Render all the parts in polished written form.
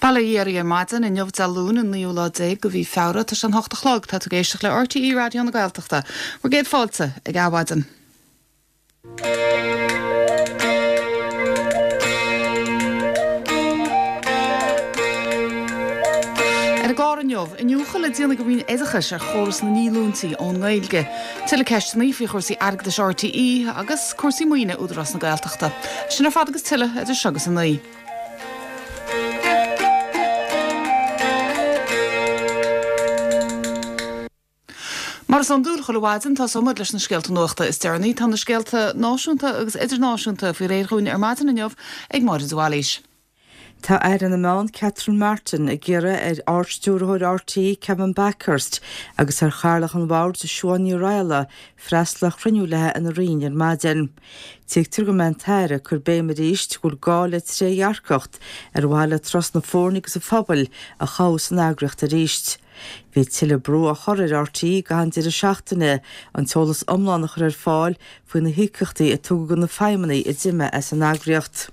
Bail ó Dhia oraibh ar maidin, inniu Dé Luain an naoú lá déag de mhí Feabhra, tá sé an hocht a chlog, tá tú ag éisteacht le RTÉ Raidió na Gaeltachta. Bhur gcéad fáilte ag Adhmhaidin. Ar an gclár inniu, iniúchadh le déanamh ag an Roinn Oideachais ar chóras na ndíolúintí ón nGaeilge, tuilleadh ceisteanna faoi chúrsaí airgeadais RTÉ agus cúrsaí maoine Údarás na Gaeltachta. Sin ar fad agus tuilleadh idir seo agus a 9. Mar is iondúil, chuile mhaidin, tosóidh muid leis na scéalta nuachta is deireanaí. Tá na scéalta náisiúnta agus idirnáisiúnta faoi réir dhúinn ar maidin inniu ag Máire de Bhailís. Tá Aire na Meán Catherine Martin ag iarraidh ar Ard-Stiúrthóir RTÉ Kevin Bakhurst agus ar Chathaoirleach an Bhoird Siún Ní Raghallaigh freastal ar chruinniú léi ina Roinn ar maidin. Tuigtear go mbeidh an tAire ag cur béim arís go bhfuil gá le trédhearcacht ar mhaithe le trust na foirne agus an phobail a chothú san eagraíocht arís. Bhí tuilleadh brú á chur ar RTÉ i gcaitheamh an deireadh seachtaine an t-eolas iomlán a chur ar fáil faoi na híocaíochtaí a tugadh do na feidhmeannaigh a d'imigh as an eagraíocht.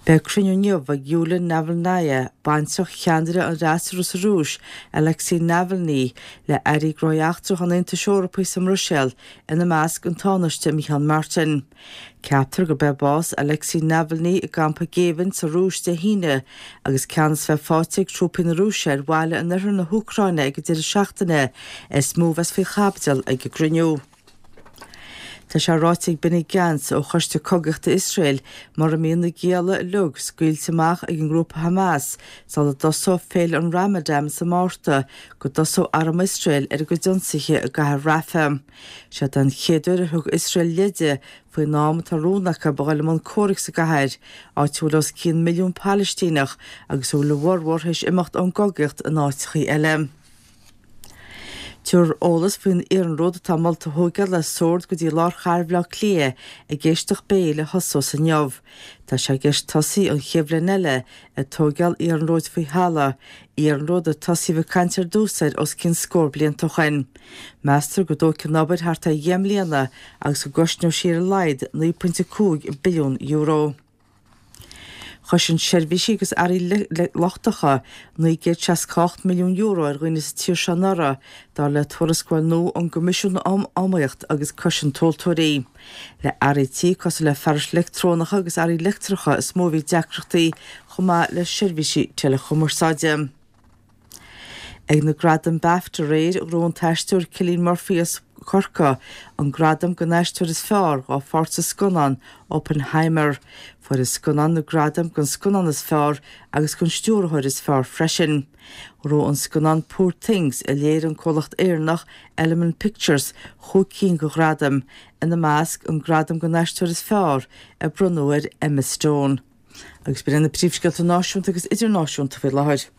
Beidh cruinniú inniu ag Yulia Navalnaya, baintreach cheannaire an fhreasúra sa Rúis, Alexei Navalny, le airí gnóthaí eachtracha an Aontais Eorpaigh sa mBruiséil, ina measc an Tánaiste Micheál Martin. Ceaptar gurb é bás Alexei Navalny i gcampa géibhinn sa Rúis Dé hAoine agus ceannas bheith faighte ag trúpaí na Rúise ar bhaile in oirthear na hÚcráine ag an deireadh seachtaine is mó a bheas faoi chaibidil ag an gcruinniú. Tá sé ráite ag Benny Gantz ó Choiste Cogaíochta Iosrael mura mbíonn na gialla uilig scaoilte amach ag an ngrúpa Hamas sula dtosóidh féile an Ramadan sa Márta go dtosóidh arm Iosrael ar a gcuid ionsaithe i gcathair Rafah. Seo den chéad uair ar thug Iosrael leide faoin am atá rún acu a dhul i mbun comhraic sa gcathair, áit a bhfuil os cionn milliún Palaistíneach agus a bhfuil a bhformhór théis imeacht ón gcogaíocht in áiteachaí eile. Tabharfar eolas faoin iarnród atá molta a thóigeáil as Sord go dtí lár chathair Bhaile Átha Cliath ag éisteacht béil a thosós inniu. Tá sé i gceist tosaí an chéad bhliain eile ag tóigeáil iarnróid faoi thalamh, iarnród ar tosaíodh ag caint ar dtús air os cionn scór blianta ó shoin. Meastar go dtógfaidh an obair thart ar dheich mbliana agus go gcosnóidh sí ar a laghad €9.5 billiún. Chosain seirbhísí agus earraí lochtacha €968 milliún ar dhaoine sa tír seo anuraidh, dar le tuarascáil nua ón gCoimisiún um Iomaíocht agus Cosaint Tomhaltóirí. Le earraí tí cosúil le fearais leictreonacha agus earraí leictreacha is mó a bhí deacrachtaí, chomh maith le seirbhísí teileachumarsáide. Ag na Gradaim Bafta aréir, ghnóthaigh an t-aisteoir Cillian Murphy as Corcaigh an gradam don aisteoir is fearr dá pháirt sa scannán Oppenheimer. Fuair an scannán na gradaim don scannán is fearr agus don stiúrthóir is fearr freisin. Ghnóthaigh an scannán Poor Things, a léirigh an comhlacht Éireannach Element Pictures, chúig cinn de ghradaim, ina measc an gradam don aisteoir is fearr a bronnadh ar Emma Stone. Agus b'in iad na príomhscéalta náisiúnta agus idirnáisiúnta faoi láthair.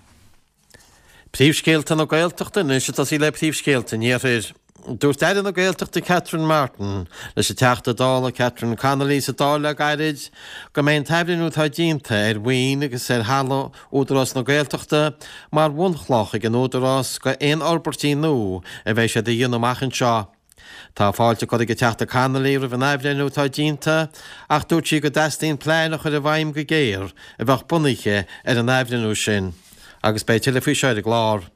Príomhscéalta na Gaeltachta anois ag tosaí le príomhscéalta an Iarthair. Dúirt Aire na Gaeltachta Catherine Martin leis an Teachta Dála Catherine Connolly sa Dáil le gairid go mbeidh an t-athbhreithniú atá déanta ar mhaoin agus ar thalamh Údarás na Gaeltachta mar bhunchloch ag an Údarás go aon fhorbairtí nua a bheidh siad a dhéanamh amach anseo. Tá fáilte curtha ag an Teachta Connolly roimh an athbhreithniú atá déanta ach dúirt sí go dteastaíonn plean a chur i bhfeidhm go géar a bheadh bunaithe ar an athbhreithniú sin agus beidh tuilleadh faoi seo ar an gclár.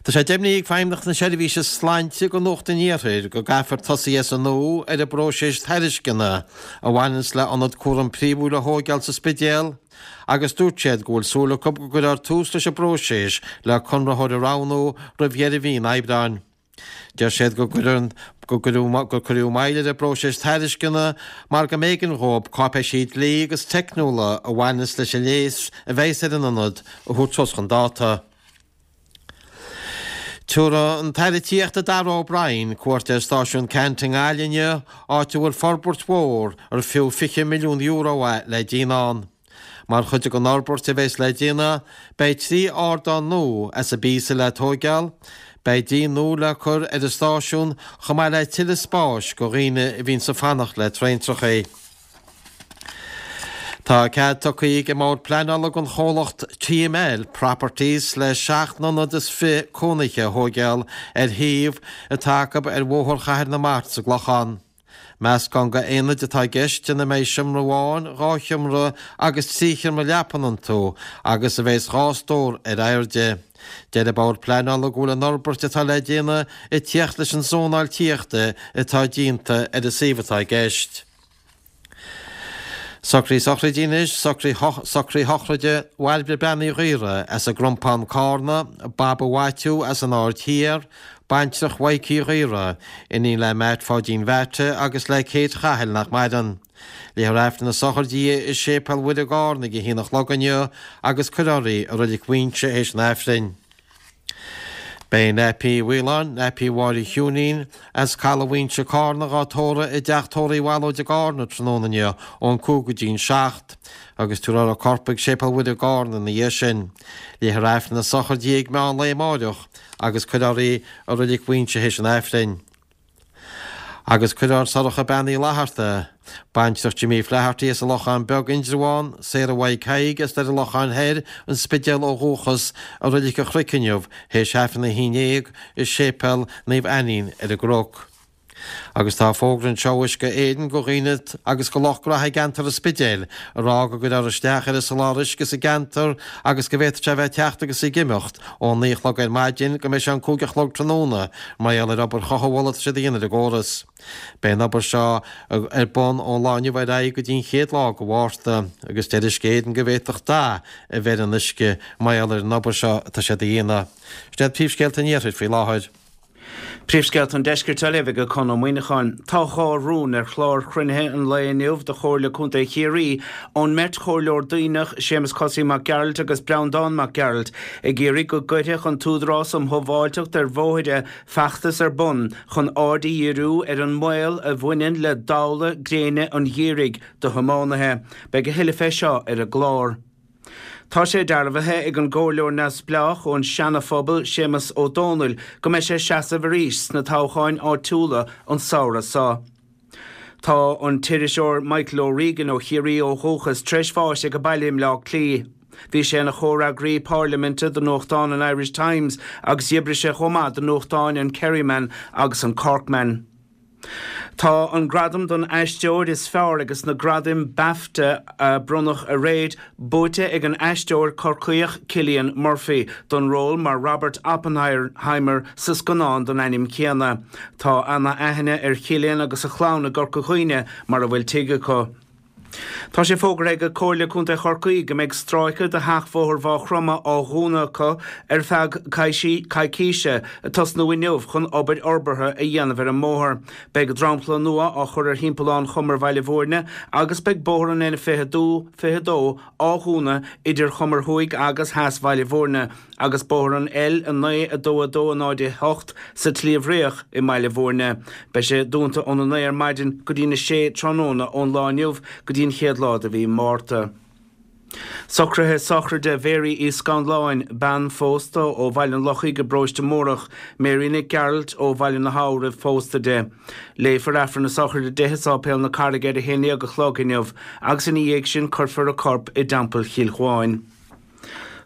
Tá sé deimhnithe ag Feidhmeannacht na Seirbhíse Sláinte do Nuacht an Iarthair go gcaithfear tosaí as an nua ar an bpróiseas tairisceana a bhaineanns le ionad cúram príomhúil a thóigeáil sa Spidéal agus dúirt siad go bhfuil súil acu go gcuirfear tús leis an bpróiseas le conraitheoir a roghnú roimh dheireadh mhí an Aibreáin. Deir siad go gur cuireadh moill ar an bpróiseas tairisceana mar go mb'éigean dhóibh cáipéisí dlí agus teicniúla a bhaineas leis an léas a bheas ar an ionad a thabhairt suas chun dáta. Tabharfaidh an tAire Tithíochta Darragh O'Brien cuairt ar Stáisiún Ceannt i nGaillimh inniu, áit a bhfuil forbairt mhór ar fiú €20 milliún é le déanamh ann. Mar chuid den fhorbairt a bheas le déanamh, beidh 3 ardán nua as an bpíosa le tóigeáil, beidh díon nua le cur ar an stáisiún chomh maith le tuilleadh spáis go dhaoine a bhíonns ag fanacht le traentrachaí. Tá cead tugtha ag an mBord Pleanála don chomhlacht TML Properties le seacht n-ionad is fi cónaithe a thóigeáil ar shuíomh atá acu ar Bhóthar Chathair na Mart sa gClochán. Meascán de aonaid atá i gceist ina mbeidh seomra amháin, 2 sheomra agus 3 sheomra leapan iontu agus a bheas 2 stór ar airde. Deir an Bord Pleanála go bhfuil an fhorbairt atá le déanamh ag tíocht leis an zónáil tithíochta atá déanta ar an suíomh atá i gceist. Socruithe sochraide anois, socruithe sochraide Bhairbre Bean Uí Ghaora as an gCrompán Cárna, Baba Mhaitiú as an Aird Thiar, baintreach Mhaidhc Uí Ghaora, iníon le Matt Pháidín Mheaite agus le Kate Chathail nach maireann. Léifear Aifreann na sochraide di i Séipéal Mhuire i gCárna ag a haon a chlog inniu agus cuirfear í i Reilig Mhuighinse théis an Aifrinn. Beidh Naipí Uí Mhaoláin, Naipí Mháire Chiúinín, as Caladh Mhuighinse Cárna dhá tórramh i dteach tórraimh Uí Bhallóid i gCárna tráthnóna inniu ón 5 go dtí'n 7 agus tabharfar a corp ag Séipéal Mhuire i gCárna ina dhiaidh sin. Léifear Aifreann na sochraide di ag meán lae amáireach agus cuirfear í i Reilig Mhuighinse théis an Aifrinn. Agus cuirfear Sorcha Bean Uí Fhlatharta, baintreach Jimmy Flaherty as an Lochán Beag, Indreabhán, Sarah Mhaidhc Thaidhg as Doire Locháin Thoir, An Spidéal ó dhúchas, i Reilig an Chnoic inniu, théis Aifreann a 11 i Séipéal Naomh Ainnín ar an gCnoc. Agus tá fógra anseo ó Uisce Éireann go dhaoine agus go lucht gnaithe i gceantar an Spidéil ag rá go gcuirfear isteach ar an soláthar uisce sa gceantar agus go bhféadfadh sé a bheith ag teacht agus ag imeacht ón 9 a chlog ar maidin go mbeidh sé an 5 a chlog tráthnóna mar gheall ar obair chothabhála atá siad a dhéanamh ar an gcóras. Beidh an obair seo ar bun ón lá inniu ar aghaidh go dtí an chéad lá de Mhárta agus deir Uisce Éireann go bhféadfadh dath a bheith ar an uisce mar gheall ar an obair seo atá siad a dhéanamh. Sin iad príomhscéalta an iarthair faoi láthair. Príomhscéalta an Deiscirt á léamh ag Conn Ó Muíneacháin. Tá 2 rún ar chlár chruinnithe an lae inniu de Chomhairle Contae Chiarraí ón mbeirt chomhairleoir Duibhneach, Séamus Cosaí Mac Gearailt agus Breandán Mac Gearailt, ag iarraidh go gcuirfeadh an tÚdarás um Shábháilteacht ar Bhóithre feachtas ar bun chun aird a dhíriú ar an mbaol a bhaineann le damhla gréine an gheimhridh do thiománaithe. Beidh a thuilleadh fé seo ar an gclár. Tá sé dearbhaithe ag an gComhairleoir Neamhspleách ón Seana-Phobal, Séamus Ó Dónaill, go mbeidh sé ag seasamh arís sna toghcháin áitiúla an samhradh seo. Tá an t-iriseoir Michael O'Regan ó Chiarraí ó dhúchas tar éis bháis ag a baile i mBleá Cliath. Bhí sé ina chomhfhreagraí pairliminte do nuachtán an Irish Times agus d'oibrigh sé chomh maith do nuachtáin an Kerryman agus an Corkman. Tá an gradam don aisteoir is fearr ages na gradaim Bafta a bronnadh aréir buaite ag an aisteoir Corcaíoch Cillian Murphy don ról mar Robert Oppenheimer sa scannán den ainm céanna. Tá ana-aithne ar Chillian agus a chlann i gCorca Dhuibhne mar a bhfuil tigh acu. Tá sé fógartha ag Comhairle Contae Chorcaí go mbeidh stráice de sheachbhóthar Mhaigh Chromtha á dhúnadh acu ar feadh coicíse, ag tosnú inniu, chun obair fhorbartha a dhéanamh ar an mbóthar. Beidh dromchla nua á chur ar thimpeallán Chumar Bhaile Bhúirne agus beidh bóthar an N22 á dhúnadh idir Chumar Thuaidh agus Theas Bhaile Bhúirne. agus bóthar an L9 2 2 0 8 sa tSliabh Riach i mBaile Bhúirne. Beidh sé dúnta óna 9 ar maidin go dtí'n 6 tráthnóna ón lá inniu go dtí an chéad lá de mhí Márta. Socruithe sochraide Mhary Uí Scanláin, bean phósta ó Bhaile an Lochaigh i bParóiste Mórdhach, Mary Nic Gearailt ó Bhaile na hAbha roimh phósta di. Léifear Aifreann na sochraide di i Sáipéal na Carraige ar a haon dhéag a chlog inniu agus ina dhiaidh sin cuirfear a corp i dTeampall Chill Chuáin.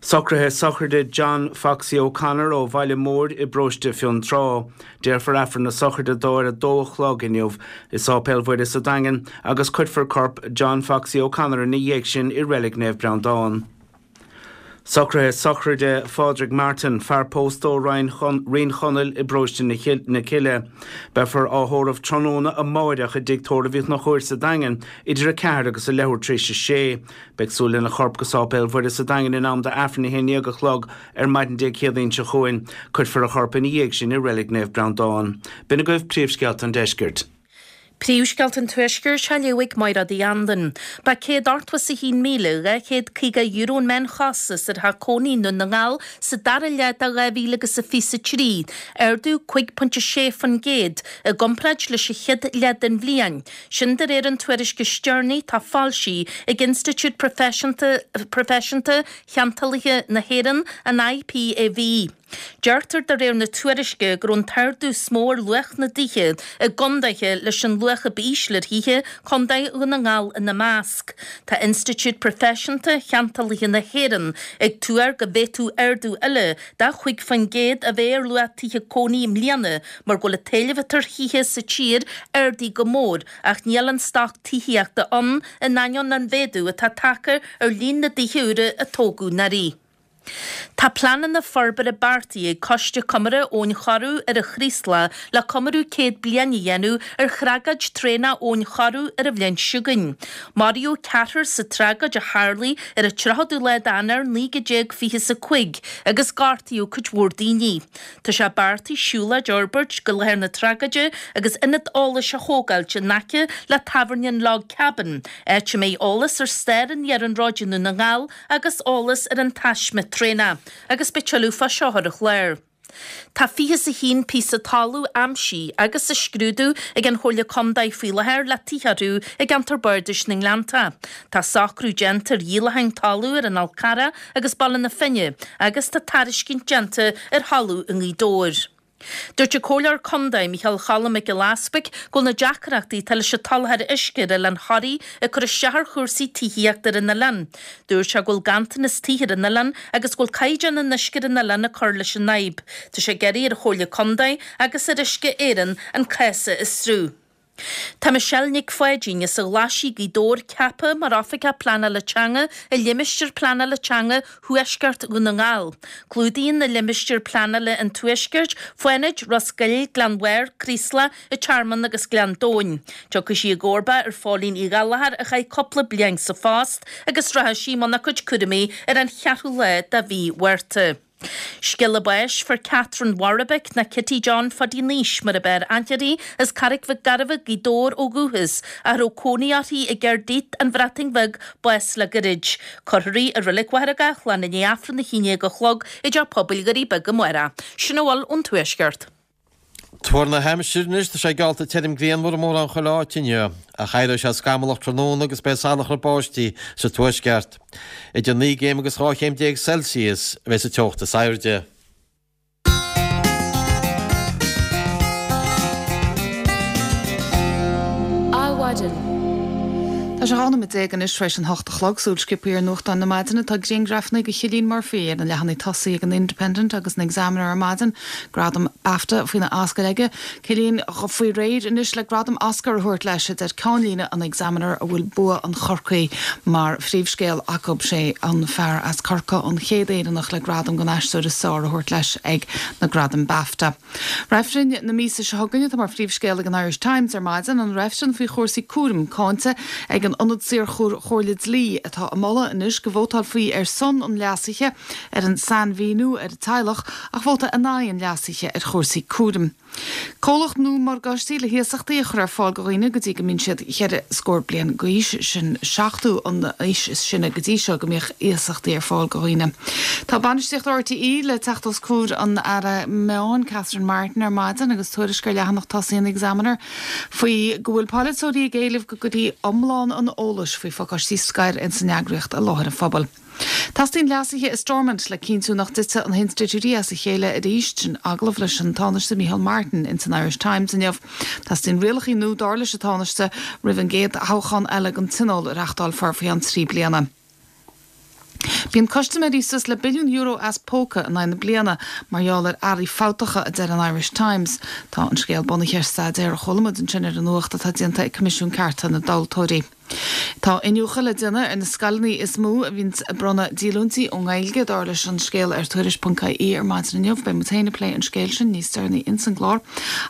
Socruithe sochraide John Foxy O'Connor ó Bhaile Móir i bparóiste Fionntrá. Déarfar Aifreann na sochraide dó ar a dó a chlog inniu i Sáipéal Mhuire sa Daingean agus cuirfear corp John Foxy O'Connor ina dhiaidh sin i Reilig Naomh Breandán. Socruithe sochraide Phádraig Martin, fear pósta ó Rinn Chonaill i bparóiste na Cille. Beifear á thórramh tráthnóna amáireach i dTigh Tórraimh Uí Chonchúir sa Daingean idir a ceathair agus a leathuair tar éis a sé. Beidh súil lena chorp go Sáipéal Mhuire sa Daingean in am d'Aifreann 11 a chlog ar maidin Dé Céadaoin seo chugainn. Cuirfear a chorp ina dhiaidh sin i Reilig Naomh Breandán. B'in agaibh príomhscéalta an deiscirt. Príomhscéalta an Tuaiscirt á léamh ag Mairéad Uí Anluain. Ba €181,250 an meánchostas ar theach cónaí i nDún na nGall sa dara leath de 2023, ardú 5.6% i gcomparáid leis an chéad leath den bhliain. Sin de réir an tuairisc is deireanaí atá foilsithe ag Institiúid Proifisiúnta Cheantálaithe na hÉireann, an IPAV. Deirtear de réir na tuairisce go raibh an t-ardú is mó ar luach na dtithe i gcondaetha leis an luach a b'ísle ar thithe, Contae Dhún na nGall ina measc. Tá Institiúid Proifisiúnta Cheantálaithe na hÉireann ag tuar go bhféadfadh ardú eile de 5% a bheith ar luach tithe cónaí i mbliana mar go bhfuil an t-éileamh atá ar thithe sa tír ardaithe go mór ach níl an stoc tithíochta ann in ainneoin an mhéadú atá tagtha ar líon na dtithe úra a tógadh anuraidh. Tá pleananna forbartha beartaithe ag Coiste Comórtha Abhainn Choireadh ar an Chraoslach le comóradh 100 bliain a dhéanamh ar thragóid traenach Abhainn Choireadh ar an bhliain seo chugainn. Maraíodh ceathrar sa tragóid a tharlaigh ar an 30ú lá d'Eanáir 1925 agus gortaíodh cuid mhór daoine. Tá sé beartaithe siúlóid a fhorbairt go láthair na tragóide agus ionad eolais a thógáilt in aice le tábhairne an Log Cabin, áit a mbeidh eolas ar stair an iarnróid i nDún na nGall agus eolas ar an taisme traenach agus beidh tuilleadh fá seo ar an chlár. Tá 21 píosa talaimh aimsithe agus á scrúdú ag an Chomhairle Contae faoi láthair le tithe orthu i gceantar Bardais na nGleannta. Tá socrú déanta ar dhíolacháin talaimh ar an Fhál Carrach agus Baile na Finne agus tá tairiscint déanta ar thalamh i nGaoth Dobhair. Dúirt an Comhairleoir Contae, Micheál Choilm Mac Giolla Easpaig, go bhfuil na deacrachtaí atá leis an tsoláthar uisce ar Oileán Thoraí ag cur isteach ar chúrsaí tithíochta ar an oileán. Dúirt sé go bhfuil ganntanas tithe ar an oileán agus go bhfuil caighdeán an uisce ar an oileán ag cur leis an fhadhb. Tá sé ag iarraidh ar an Chomhairle Contae agus ar Uisce Éireann an cás a fhiosrú. Tá Michelle Nic Pháidín as an Ghlaisigh, Gaoth Dobhair ceaptha mar Oifigeach Pleanála Teanga i Limistéar Pleanála Teanga Thuaisceart Dhún na nGall. Clúdaíonn an limistéar pleanála an Tuaiscirt, Fánaid, Ros Goill, Gleann Bhairr, Craoslach, an Tearmann agus Gleann Domhain. Tiocfaidh sí i gcomharba ar Phóilín Uí Ghallchóir a chaith cúpla bliain sa phost agus rachaidh sí i mbun a cuid cúraimí ar an cheathrú lá de mhí Mhárta. Scéala báis Fuair Catherine Warbeck, nó Kitty John Phaidí Naois mar ab fhearr aithne uirthi, as Carraig Mhic Gairbheith, Gaoth Dobhair ó dhúchas, ach a raibh cónaí uirthi i gCaerdydd, An Bhreatain Bheag, bás le gairid. Cuirfear í i Reilig Mhachaire Gathlán i ndiaidh Aifreann a 11 a chlog i dTeach Pobail Dhoirí Beaga amárach. Sin a bhfuil ón Tuaisceart. Tuar na haimsire anois, tá sé geallta tirim grianmhar i mórán chuile áit inniu, ach éireoidh sé scamallach tráthnóna agus beidh salachar báistí sa tuaisceart. Idir 9 gcéim agus 12 chéim Celsius a bheidh sa teocht is airde. Adhmhaidin. Tá sé 12 nóiméad anois tar éis an hocht a chlog. Súil sciobtha ar nuachtáin na maidine. Tá grianghrafanna de Chillian Murphy ar na leathanaigh tosaigh ag an Independent agus an Examiner ar maidin. Gradam BAFTA faoina ascaill aige. Cillian faoi réir anois le gradam Oscar a thabhairt leis, a deir ceannlíne an Examiner a bhfuil bua an Chorcaí mar phríomhscéal acu. Sé an fear as Corcaigh an chéad Éireannach le gradam don aisteoir is fearr a thabhairt leis ag na gradaim BAFTA. Reifreann na míosa seo chugainn atá mar phríomhscéal ag an Irish Times ar maidin, an reifreann faoi chúrsaí cúraim cáinte ag an Ionad Saor-Chomhairle Dlí atá ag moladh anois go vótálfaí ar son an leasaithe ar an sainmhíniú ar an teaghlach ach vóta in aghaidh an leasaithe ar chúrsaí cúraim. Comhlacht nua morgáistí le hiasachtaí a chur ar fáil do dhaoine go dtí go mbíonn siad cheithre scór bliain d'aois, sin 70 an aois is sine go dtí seo go mbíodh iasachtaí ar fáil do dhaoine. Tá bainistíocht RTÉ le teacht os comhair an Aire Meán, Catherine Martin ar maidin agus tuairisc ar leathanach tosaigh an Examiner faoi go bhfuil polaiteoirí ag éileamh go gcuirfí iomlán an eolais faoi phacáistí scoir ins an eagraíocht i láthair an phobail. Teastaíonn leasuithe i Stormont le cinntiú nach dtitfidh na hinstitiúidí as a chéile arís, sin agallamh leis an Tánaiste Micheál Martin ins an Irish Times inniu. Teastaíonn rialacha nua dar leis an Tánaiste roimh an gcéad thoghchán eile don Tionól a reachtálfar faoi cheann 3 bliana. Bíonn custaiméirí suas le billiún euro as póca in aghaidh na bliana mar gheall ar earraí fabhtacha, a deir an Irish Times. Tá an scéal bunaithe ar staidéar a chuala muid ansin ar an nuacht atá déanta ag Coimisiún Cearta na dTomhaltóirí. Tá iniúchadh le déanamh ar na scoileanna is mó a bhíonns ag bronnadh díolúintí ón nGaeilge, dar leis an scéal ar Tuairisc.ie ar maidin inniu. Beidh muid féin ag plé an scéil sin níos deireanaí ins an gclár.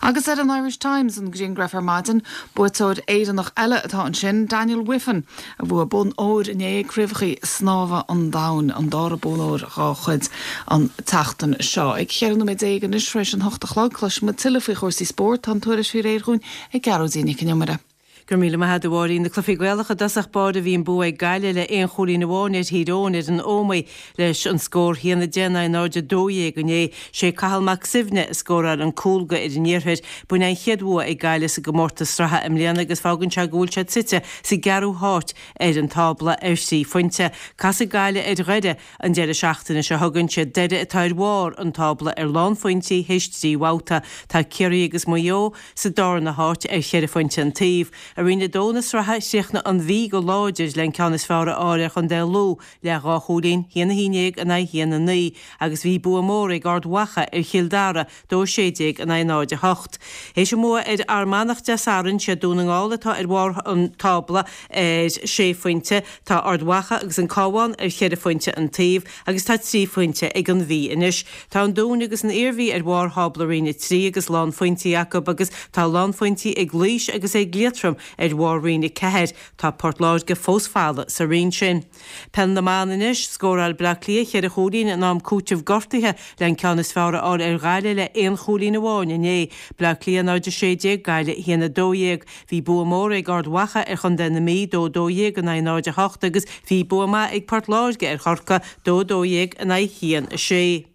Agus ar an Irish Times, an grianghraf ar maidin, buaiteoir Éireannach eile atá ansin, Daniel Wiffen, a bhuaigh bonn óir inné ag Craobhacha Snámha an Domhain, an dara bonn óir dhá chuid an tseachtain seo. Ag 14 nóiméad anois tar éis an hocht a chlog, cloisfidh muid tuilleadh faoi chúrsaí spóirt. Tá an tuairisc faoi réir dhúinn ag Gearóidín Nic an Iomaire. Go raibh míle maith agat a Mháirín. Na cluichí Gaelacha i dtosach báire bhí an bua ag Gaillimh le aon chúilín amháin ar Thír Eoghain ar an Ómaigh leis an scór 1-10 in aghaidh 0-12 inné. Sé Cathal Mac Suibhne a scóráil an cúl go fhir an iarthair. B'in an chéad bhua ag Gaillimh sa gcomórtas sraithe i mbliana agus fágann sé go bhfuil siad suite sa gceathrú háit ar an tábla ar thrí phointe. Casfaidh Gaillimh ar Dhoire an deireadh seachtaine seo chugainn. Siad Doire atá ar bharr an tábla ar lánphointí théis trí bhabhta. Tá Ciarraí agus Maigh Eo sa darna háit ar cheithre phointe an taobh. I Roinn 2 na sraithe, chríochnaigh an Mhí go láidir le an ceann is fearr a fháil ar chontae Lú le dhá chúilín, 1-11 in aghaidh 1-9, agus bhí bua mór ag Ard Mhacha ar Chill Dara, 2-16 in aghaidh 0-8. Théis a mbua ar Fhear Manach Dé Sathairn, siad Dún na nGall atá ar bharr an tábla ar sé phointe. Tá Ard Mhacha agus an Cabhán ar cheithre phointe an taobh agus tá trí phointe ag an Mhí anois. Tá an Dún agus an Iarmhí ar bharr thábla Roinn 3 agus lánphointí acu agus tá lánphointí ag Laois agus ag Liatroim ar bharr Roinn 4. Tá Port Láirge fós folamh sa roinn sin. Peil na mBan anois, Scóráil Bleá Cliath cheithre chúilín in am cúitimh gortaithe le an ceann is fearr a fháil ar Ghaillimh le aon chúilín amháin inné. Bleá Cliath 0-16, Gaillimh 1-12. Bhí bua mór ag Ard Mhacha ar chontae na Mí, 2-12 in aghaidh 0-8, agus bhí bua maith ag Port Láirge ar Chorcaigh, 2-12 in aghaidh 1-6.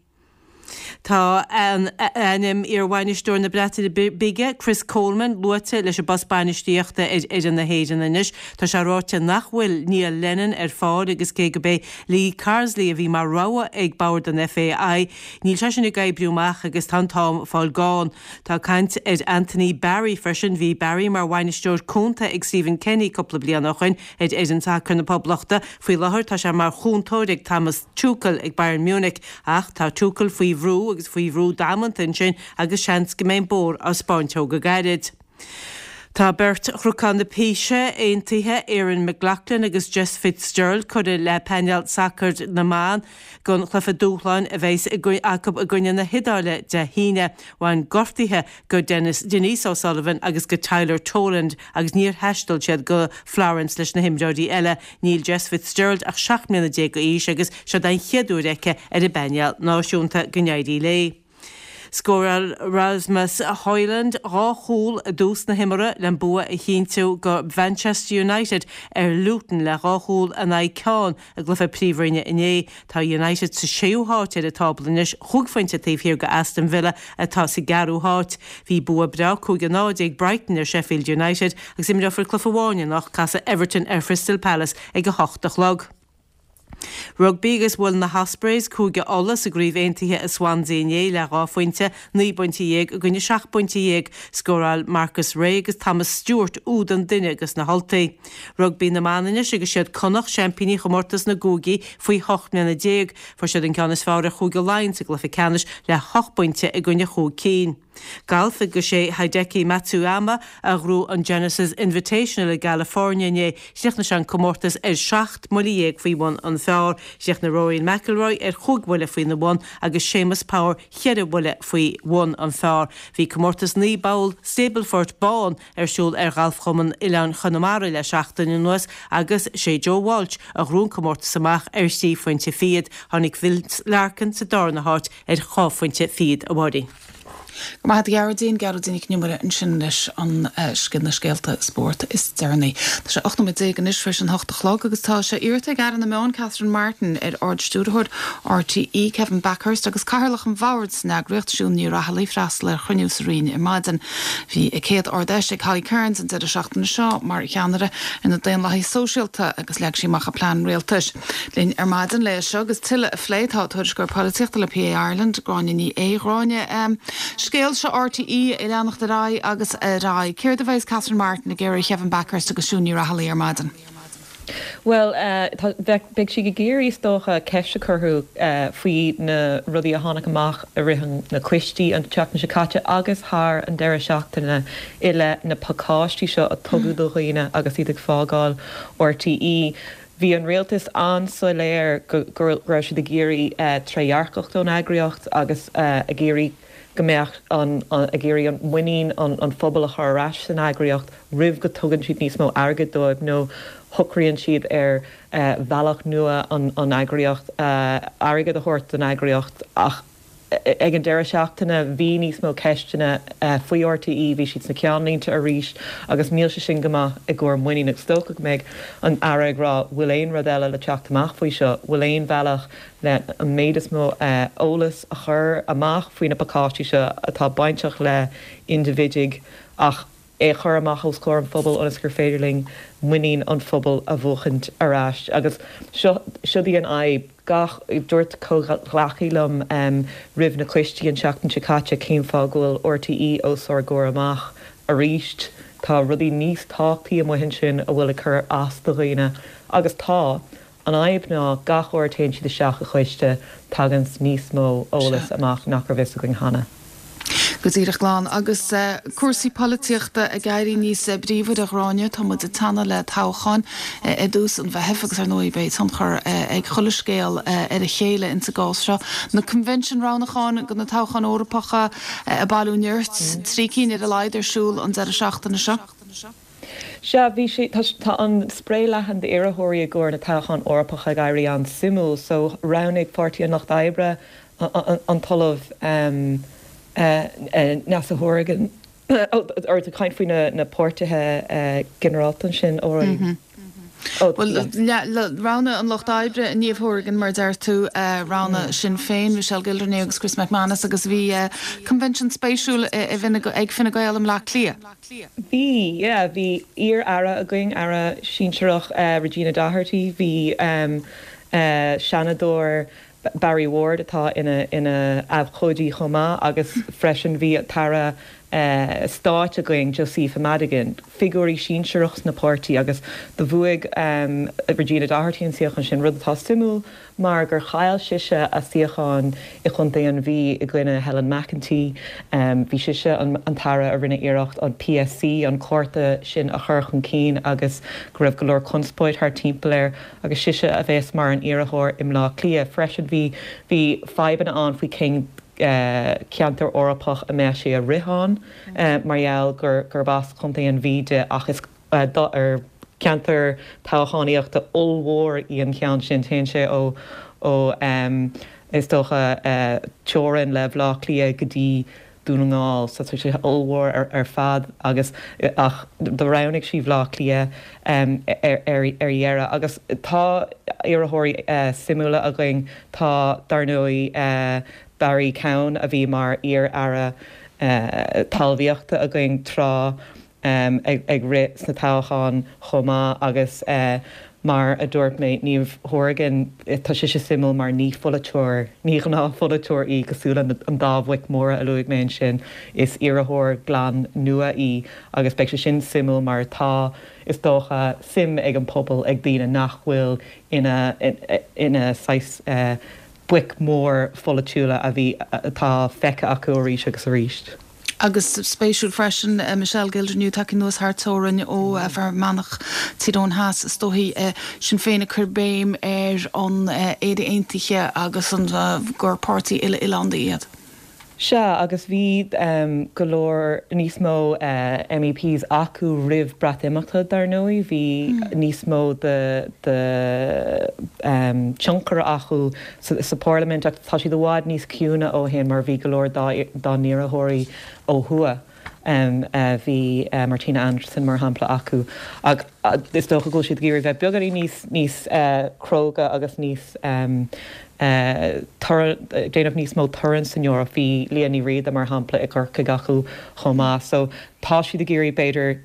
Tá ainm iar-bhainisteoir na Breataine Bige, Chris Coleman, luaite leis an bpost bainistíochta ar fhoireann na hÉireann anois. Tá sé ráite nach bhfuil Neil Lennon ar fáil agus cé gurb é Lee Carsley a bhí mar rogha ag bord an FAI, níl sé sin ag oibriú amach agus tá an t-am ag fáil gann. Tá caint ar Anthony Barry freisin. Bhí Barry mar bhainisteoir cúnta ag Stephen Kenny cúpla bliain ó shoin ar fhoireann sacair na Poblachta. Faoi láthair tá sé mar chúntóir ag Thomas Tuchel ag Bayern Munich. Ach tá Tuchel faoi bhrú agus faoi bhrú damanta ansin agus seans go mbeidh an bóthar á 'spáint dó go gairid. Tá beirt Chnocán na Píse aontaithe, Erin McLaughlin agus Jess Fitzgerald, curtha le painéal sacair na mban don chluiche dúshláin a bheas acu i gcoinne na hIodáile Dé hAoine. Bhain gortuithe go Denise O'Sullivan agus go Tyler Toland agus níor thaistil siad go Florence leis na himreoirí eile. Níl Jess Fitzgerald ach 17 mbliana d'aois agus seod é an chéad uair aici ar an bpainéal náisiúnta. Go n-éirí léi. Scóráil Rasmus Højlund 2 chúl i dtús na himeartha le an bua a chinntiú go Mhanchester United ar Luton le 2 chúl in aghaidh ceann i gcluiche Príomhroinne inné. Tá United sa séú háit ar an tábla anois, chúig phointe taobh thiar go Aston Villa atá sa gceathrú háit. Bhí bua breá 5-0 ag Brighton ar Sheffield United agus imreofar cluiche amháin anocht, casfaidh Everton ar Chrystal Palace ag a hocht a chlog. Rugbaí agus bhuail na hOspreys Cúige Uladh sa gCraobh Aontaithe i Swansea inné le 2 phointe, 19 bpointe i gcoinne 17 bpointe. Scóráil Marcus Ray agus Thomas Stewart úd an duine dos na hUltaigh. Rugbaí na mban anois agus siad Connacht seaimpíní chomórtas na gcúigí faoi 18 mbliana. Fuair siad an ceann is fearr ar Chúige Laighean sa gcluiche ceannais le hocht bpointe i gcoinne chúig cinn. Galf agus sé Hideki Matsuyama a ghnóthaigh an Genesis Invitational i gCalifornia inné. Chríochnaigh sé an comórtas ar 17 mbuille faoi bhun an phar. Chríochnaigh Rory McIlroy ar chúig bhuille faoina bhun agus Séamus Power cheithre bhuille faoi bhun an phar. Bhí comórtas 9 bpoll Stableford bán ar siúl ar Ghalfchumann Oileáin Chonamara le seachtain anuas agus sé Joe Walsh a ghnóthaigh an comórtas amach ar thrí phointe fichead. Tháinig Vince Larkin sa darna háit ar dhá phointe fichead, a Mháirín. Go raibh maith agat a Ghearóidín, Gearóidín Nic an Iomaire ansin leis an na scéalta spóirt is deireanaí. Tá sé 18 nóiméad anois tar éis an hocht a chlog agus tá sé iarrta ag Aire na Meán Catherine Martin ar Ard-Stiúrthóir RTÉ Kevin Bakhurst agus Cathaoirleach an Bhoird san eagraíocht Siún Ní Raghallaigh freastal ar chruinniú sa Roinn ar maidin. Bhí a céad Ard-Fheis ag Holly Cairns an deireadh seachtaine seo mar cheannaire ar na Daonlathaithe Sóisialta agus leag sí amach a plean rialtais. Linn ar maidin le seo agus tuilleadh a phlé tá tuairisceoir polaitíochta le PA Ireland, Gráinne Ní Aodha. Gráinne, scéal seo RTÉ ag leanacht ar aghaidh agus ar aghaidh. Céard a bheas Catherine Martin ag iarraidh ar Kevin Bakhurst agus Siún Ní Raghallaigh ar maidin? Bhuel, beidh sí ag iarraidh, is dócha, ceist a chur orthu faoi na rudaí a tháinig amach i rith na coistí an tseachtain seo caite agus thar an deireadh seachtaine i leith na pacáistí seo a tugadh do dhaoine agus iad ag fágáil RTÉ. Bhí an rialtas an-soiléir go raibh siad ag iarraidh trédhearcacht ón eagraíocht agus ag iarraidh go mbeadh an, ag iarraidh an muinín an phobail a chur ar ais san eagraíocht roimh go dtugann siad níos mó airgid dóibh nó shocraíonn siad ar bhealach nua an eagraíocht, airgead a thabhairt don eagraíocht ach. Ag an deireadh seachtaine bhí níos mó ceisteanna faoi RTÉ, bhí siad sna ceannlínte arís agus níl sé sin go maith i gcomhair muinín agus is dócha go mbeidh an Aire ag rá bhfuil aon rud eile le teacht amach faoi seo, bhfuil aon bhealach le an méid is mó eolas a chur amach faoi na pacáistí seo atá bainteach le indibhidigh ach é a chur amach os comhair an phobail ionas gur féidir linn muinín an phobail a bhuachaint ar ais. Agus seo, siod í an fhadhb. Gach, dúirt comhghleacaí liom roimh na coistí an tseachtain seo caite cén fáth go bhfuil RTÉ os ár gcomhair amach arís? Tá rudaí níos tábhachtaí amuigh ansin a bhfuil ag cur as do dhaoine. Agus tá. An fhadhb ná gach uair a téann siad isteach i choiste taganns níos mó eolas amach nach raibh fhios againn cheana. Go díreach glan. Agus cúrsaí polaitíochta ag éirí níos bríomhaire, a Ghráinne, tá muid ag teannadh le toghcháin i dtús an Mheithimh agus ar ndóigh beidh tionchar ag chuile scéal ar a chéile insa gcás seo. Na coinbhinsin roghnúcháin do na toghcháin Eorpacha ag bailiú nirt, 3 cinn ar a laghad ar siúl an deireadh seachtaine seo. Sea, bhí sé, tá, tá an spré leathan d'iarrthóirí i gcomhair na toghcháin Eorpacha ag éirí an-suimiúil. So, roghnaigh Páirtí an Lucht Oibre an tOllamh Neasa Hourigan, oh, or tú ag caint faoi na, na páirtithe ginearálta ansin, alright. Oh, Bhuel, roghnaigh an Lucht Oibre Niamh Hourigan, mar a deir tú, roghnaigh Sinn Féin, Michelle Gildernew agus Chris McManus agus bhí convention spéisiúil ag Fine Gael i mBleá Cliath. Bhí, yeah, bhí iar-aire againn, aire sinsearach Regina Doherty, bhí seanadóir Barry Ward atá ina ina abhcóidí chomh maith agus freisin bhí tAire Stáit againn, Josepha Madigan, figiúirí sinsearach sna páirtí agus do bhuaigh Regina Doherty an suíochán sin, rud atá suimiúil mar gur chaill sise a suíochán i gContae an Mhí i gcoinne Helen McEntee. Bhí sise an t-aire a rinne iarracht an PSC, an cárta sin a chur chun cinn agus go raibh go leor conspóid thart timpeall air agus sise a bheas mar an iarrthóir i mBleá Cliath. Freisin bhí bhí fadhbanna ann faoi cén ceantar Eorpach a mbeadh sí ag rith ann mar gheall gur gurb as Contae an Mhí di ach is ar ceantar toghchánaíochta ollmhór í an ceann sin. Téann sé ó, ó is dócha, teorainn le Bhleá Cliath go dtí Dún na nGall. So tá sé ollmhór ar fad agus, ach do roghnaigh sí Bhleá Cliath ar ar dheireadh. Agus tá iarrthóirí suimiúla againn. Tá, dar ndóigh, Barry Cowen a bhí mar iar-aire talmhaíochta againn tráth. ag rith sna toghcháin chomh maith agus mar a dúirt mé, Niamh Hourigan, tá sise suimiúil mar ní pholaiteoir, ní ghnáthpholaiteoir í cosúil le an dá bhoic mhóra a luaigh mé ansin. Is iarrthóir glan nua í agus beidh sé sin suimiúil mar tá, is dócha, suim ag an pobal, ag daoine nach bhfuil ina, ina saghas boic mhór pholaitiúla a bhí, atá feicthe acu arís agus arís. Agus spéisiúil freisin, Michelle Gildernew tagtha anuas thar teorainn ó Fhear Manach, Tír Eoghain Theas, is dóichí, Sinn Féin ag cur béim ar an Éire Aontaithe agus an gur páirtí uile-oileánda iad. Sea, agus bhí go leor níos mó MEPs acu roimh Breatimeachta, dar ndóigh. Bhí níos mó de tionchar acu sa Pharlaimint ach tá siad i bhfad níos ciúine ó shin mar bhí go leor dá n-iarrthóirí ó thuaidh. Bhí Martina Anderson mar shampla acu ach is dócha go bhfuil siad ag iarraidh bheith beagáinín níos níos cróga agus níos déanamh níos mó torainn san Eoraip. Bhí Liadh Ní Riada mar shampla i gCorcaigh acu chomh maith. So tá siad ag iarraidh b'fhéidir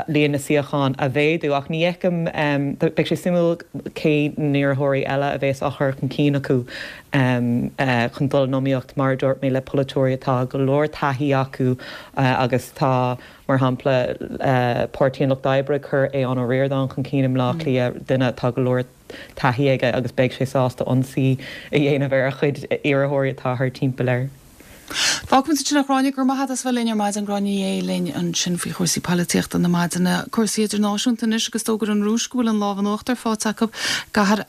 líon na suíochán a mhéadú ach ní fheicim, beidh sé suimiúil cé n-iarrthóirí eile a bheas á chur chun cinn acu chun dul in iomaíocht mar a dúirt mé le polaiteoirí atá go leor taithí acu agus tá mar shampla Páirtí an Lucht Oibre ag cur Aodhán Ó Ríordáin chun cinn i mBleá Cliath, duine atá go leor taithí aige agus beidh sé sásta ionsaí a dhéanamh ar a chuid iarrthóirí atá thar timpeall air. Fágfaimid ansin é a Ghráinne, go raibh maith agat as bheith linn ar maidin, Gráinne Ní Aodha linn ansin faoi chúrsaí polaitíochta na maidine. Cúrsaí idirnáisiúnta anois agus d'fhógair an Rúis go bhfuil an lámh in uachtar faighte acu i gcathair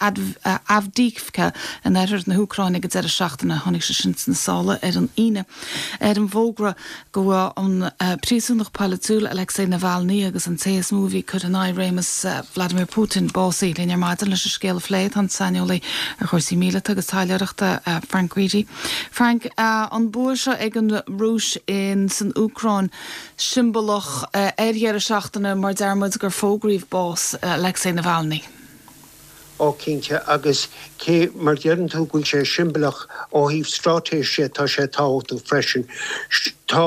Avdiivka in oirthear na hÚcráine ag an deireadh seachtaine. Tháinig sé sin sna sála ar an Aoine ar an bhfógra go raibh an príosúnach polaitiúil Alexei Navalny agus an té is mó a bhí ag cur in aghaidh réimeas Vladimir Putin básaithe. Linn ar maidin leis an scéal a phlé tá an saineolaí ar chúrsaí míleata agus taidhleoireachta Frank Reidy. Frank, an bua seo ag an Rúis in san Úcráin siombalach ar dheireadh seachtaine mar deir muid gur fógraíodh bás Alexei Navalny. Ó cinnte, agus cé mar deireann tú go bhfuil sé siombalach ó thaobh straitéise tá sé tábhachtach freisin. Tá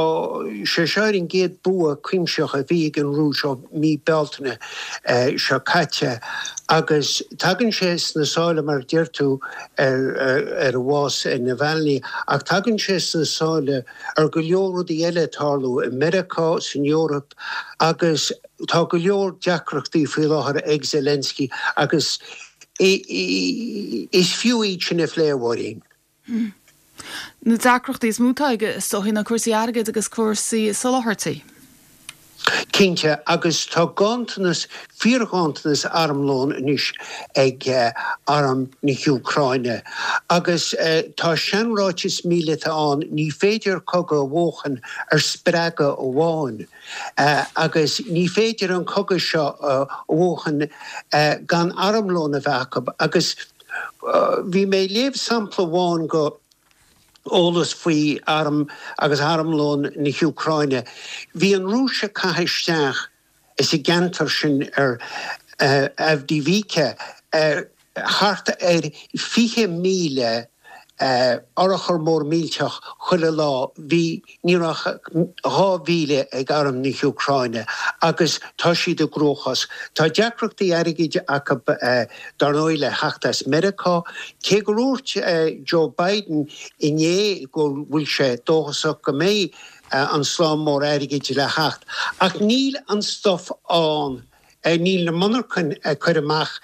sé seo ar an gcéad bua cuimsitheach a bhí ag an Rúis ó mí Bealtaine seo caite agus tagann sé sna sála mar a deir tú ar bhás Navalny ach tagann sé sna sála ar go leor rudaí eile ag tarlú i Meiriceá, san Eoraip agus tá go leor deacrachtaí faoi láthair ag Zelensky agus is fiú iad sin a phlé, a Mháirín. Na deacrachtaí is mó atá aige is dóichí ná cúrsaí airgid agus cúrsaí soláthairtí. Cinnte, agus tá ganntanas, fíorghanntanas armlóin anois ag arm na hÚcráine. Agus tá seanráiteas míleata ann, ní féidir cogadh a bhuachan ar spreagadh amháin. Agus ní féidir an cogadh seo a bhuachan gan armlón a bheith acu. Agus bhí mé ag léamh sampla amháin go eolas faoi arm agus armlón na hÚcráine. Bhí an Rúis ag caitheamh isteach sa gceantar sin ar Avdiivka thart ar 20,000 urchar mór millteach chuile lá. Bhí, ní raibh ach 2,000 ag arm na hÚcráine agus tá siad i gcruachás. Tá deacrachtaí airgid acu dar ndóigh le theacht as Meiriceá, cé gur dhúirt Joe Biden inné go bhfuil sé dóchasach go mbeidh an slám mór airgid le theacht. Ach níl an stuif ann. Níl na monarchain ag cur amach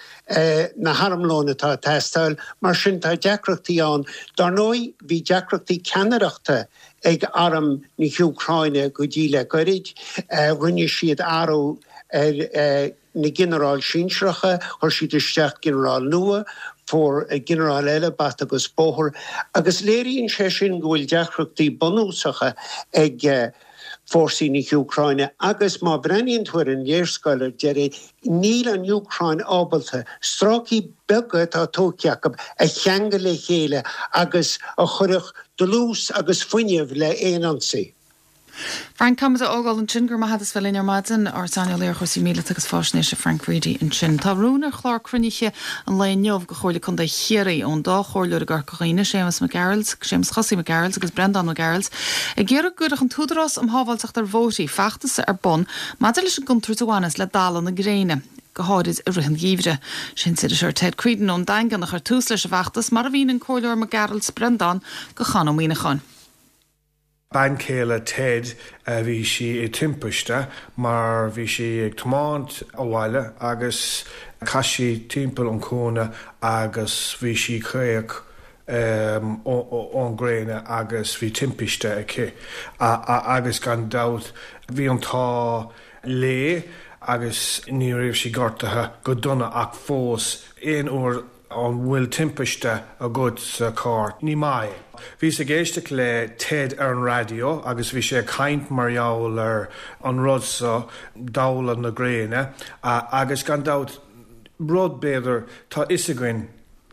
na harmlóin atá ag teastáil, mar sin tá deacrachtaí ann. Dar ndóigh, bhí deacrachtaí ceannaireachta ag arm na hÚcráine go dtí le goirid. Rinne siad athrú ar na ginearáil sinsearacha, chuir siad isteach ginearál nua, fuair ginearál eile bata agus bóthar, agus léiríonn sé sin go bhfuil deacrachtaí bunúsacha ag fórsaí na hÚcráine agus má bhreathnaíonn tú ar an léarscáil ar deireadh, níl an Úcráin ábalta stráicí beaga atá tógtha acu a cheangal le chéile agus a chuirfeadh dlús agus fuinneamh le haon ionsaí. Frank, Caithfimid a fhágáil ansin. Go raibh maith agat as bheith linn ar maidin. Ár saineolaí ar chúrsaí míleata agus faisnéise Frank Reidy ansin. Tá rún ar chlár cruinnithe an lae inniu go Chomhairle Contae Chiarraí ón dá chomhairleoir i gCorca Dhuibhne, Séamus Mac Gearailt, Séamus Chosaí Mac Gearailt agus Breandán Mac Gearailt, ag iarraidh go gcuirfeadh an tÚdarás um Shábháilteacht ar Bhóithrí feachtas ar bun maidir leis an gcontúirt a bhaineas le dalladh na gréine, go háirid i rith an gheimhridh. Sé an t-iriseoir Ted Creedon ón Daingean a chuir tús leis an bhfeachtas, mar a mhínigh an Comhairleoir Mac Gearailt Breandán go Con Ó Muíneacháin. Bean chéile Ted, bhí sí i timpiste mar bhí sí ag tiomáint abhaile agus chas sí timpeall an cúinne agus bhí sí caoch ón gréine agus bhí timpiste aici agus gan dabht bhí an t-ádh léi agus ní raibh sí gortaithe go dona ach fós aon uair An bhfuil timpiste agat sa charr? Ní maith é. Bhíos ag éisteacht le Ted ar an raidió agus bhí sé ag caint mar gheall ar an rud seo, dalladh na gréine, agus gan dabht, rud b'fhéidir, tá fhios againn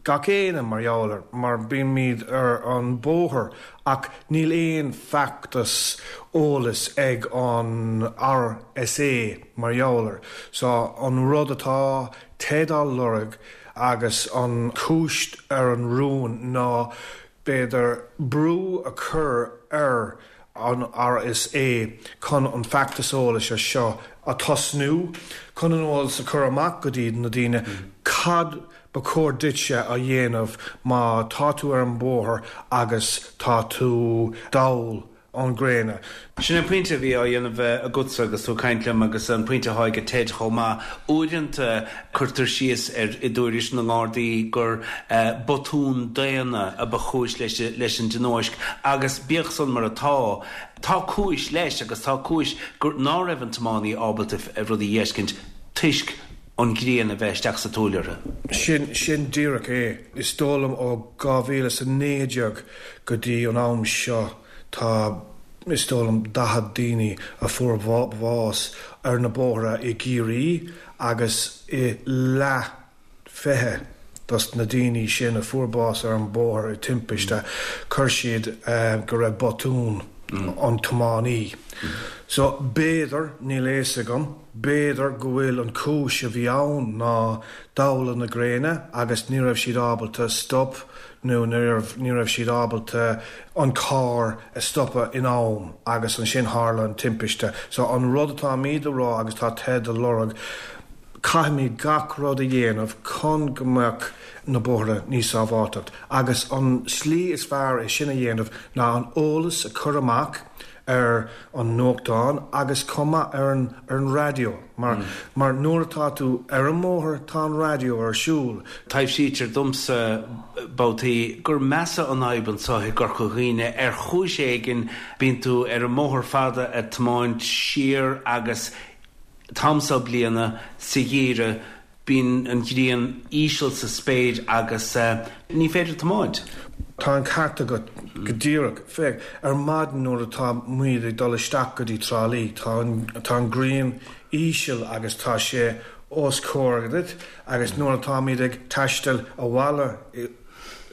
gach éinne mar gheall air, mar bímid ar an bóthar, ach níl aon feachtas eolais ag an RSA mar gheall air. So an rud atá Ted á lorg agus an chúis ar an rún ná b'fhéidir brú a chur ar an RSA chun an feachtas eolais seo a tosnú, chun an eolas a chur amach go dtí na daoine cad ba chóir duitse a dhéanamh má tá tú ar an bóthar agus tá tú dall. ón gréine. Sin an pointe a bhí á dhéanamh agatsa agus tú ag caint liom agus an pointe atá ag Ted chomh maith. Uaireanta cuirtear síos ar i dtuairisc na nGardaí gur botún daonna a ba chúis leis an dtionóisc agus bíodh san mar atá, tá cúis leis agus tá cúis gur ná raibh an tiománaí ábalta rudaí a dh'fheiscint toisc an ghrian a bheith isteach sa tsúil orthu. Sin, sin díreach é. Is dóigh liom ó 2019 go dtí an am seo tá, is dóigh liom, 40 daoine a fuair bás ar na bóithre i gCiarraí agus i leath 20 dos na daoine sin a fuair bás ar an bóthar i timpiste, chuir siad go raibh botún an tiománaí. So, b'fhéidir, níl a fhios agam, b'fhéidir go bhfuil an chúis a bhí ann ná dabhla na gréine agus ní raibh siad ábalta stop nó ní raibh, ní raibh siad ábalta an carr a stopadh in am agus ansin tharla an timpiste. So, an rud atáimid a rá agus tá Ted a lorg, Caithfimid gach rud a dhéanamh chun go mbeadh na bóithre níos sábháilteacht agus an slí is fearr é sin a dhéanamh ná an eolas a chur amach ar an nuachtán agus chomh maith ar an ar an raidió mar mar nuair atá tú ar an mbóthar tá an raidió ar siúl. Taibhsítear domsa babhtaí gur measa an fhadhb anseo i gCorca Dhuibhne. Ar chúis éigin bíonn tú ar an mbóthar fada ag tiomáint siar agus t-am seo bliana, sa gheimhreadh, bíonn an ghrian íseal sa spéir agus ní féidir tiomáint. Tá an ceart agat go díreach. Féach, ar maidin nuair atá muid ag dul isteach go dtí Trá Lí, tá an, tá an ghrian íseal agus tá sé os comhair duit agus nuair atáimid ag taisteal abhaile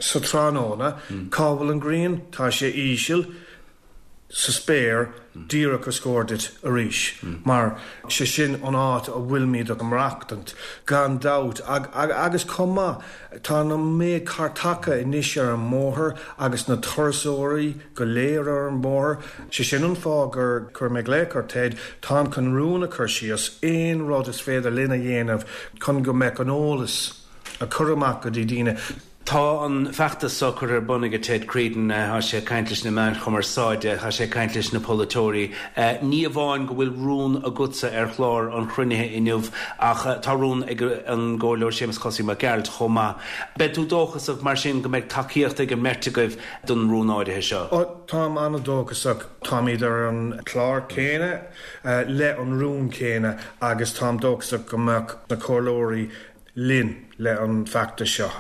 sa tráthnóna, cá bhfuil an ghrian? Tá sé íseal. sa spéir díreach os comhair duit arís, mar sé sin an áit a bhfuilimid ag maireachtaint, gan dabht. Agus chomh maith, tá an méid cairteacha anois ar an mbóthar agus na turasóirí go léir ar an mbóthar. Sé sin an fáth gur chuir mé glaoch ar Ted, táim chun rún a chur síos, aon rud is féidir linn a dhéanamh chun go mbeadh an eolas a chur amach go dtí daoine. Tá an feachtas seo curtha ar bun ag Ted Creedon, tá sé ag caint leis na meáin chumarsáide, tá sé ag caint leis na polaiteoirí. Ní amháin go bhfuil rún agatsa ar chlár an chruinnithe inniu ach tá rún ag an gComhairleoir Séamus Cosaí Mac Gearailt chomh maith. Beidh tú dóchasach mar sin go mbeidh tacaíocht ag an mbeirt agaibh don rún áirithe seo? Ó, táim an-dóchasach. Táimid ar an chlár céanna, le an rún céanna agus táim dóchasach go mbeadh na comhairleoirí linn le an feachtas seo.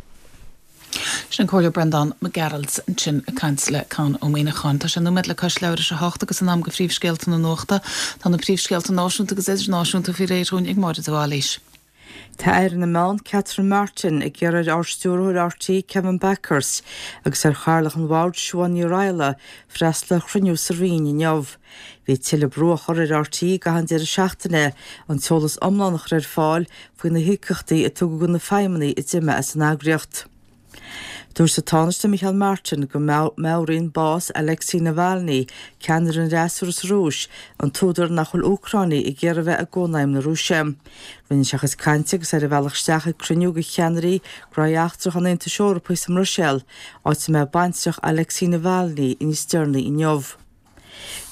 Sin an Comhairleoir Breandán Mac Gearailt ansin ag caint le Conn Ó Muíneacháin. Tá sé nóiméad le cois leathuair tar éis a hocht agus in am do phríomhscéalta na nuachta. Tá na príomhscéalta náisiúnta agus idirnáisiúnta faoi réir dhúinn ag Máire de Bhailís. Tá Aire na Meán, Catherine Martin, ag iarraidh ar Ard-Stiúrthóir RTÉ, Kevin Bakhurst, agus ar Chathaoirleach an Bhoird, Siobhán Ní Raghallaigh, freastal ar chruinniú sa Roinn inniu. Bhí tuilleadh brú á chur ar RTÉ i gcaitheamh an deireadh seachtaine an t-eolas iomlán a chur ar fáil faoi na híocaíochtaí a tugadh do na feidhmeannaigh a d'imigh as an eagraíocht. Dúirt an Tánaiste Micheál Martin go meabhraíonn bás Alexei Navalny, ceannaire an fhreasúra sa Rúis, an t-údar nach bhfuil Úcráinigh ag iarraidh a bheith i gCónaidhm na Rúise. Rinne sé a chuid cainte agus é ar a bhealach isteach ag cruinniú de cheannairí gnóthaí eachtracha an Aontais Eorpaigh sa mBruiséil, áit a mbeidh baintreach Alexei Navalny níos deireanaí inniu.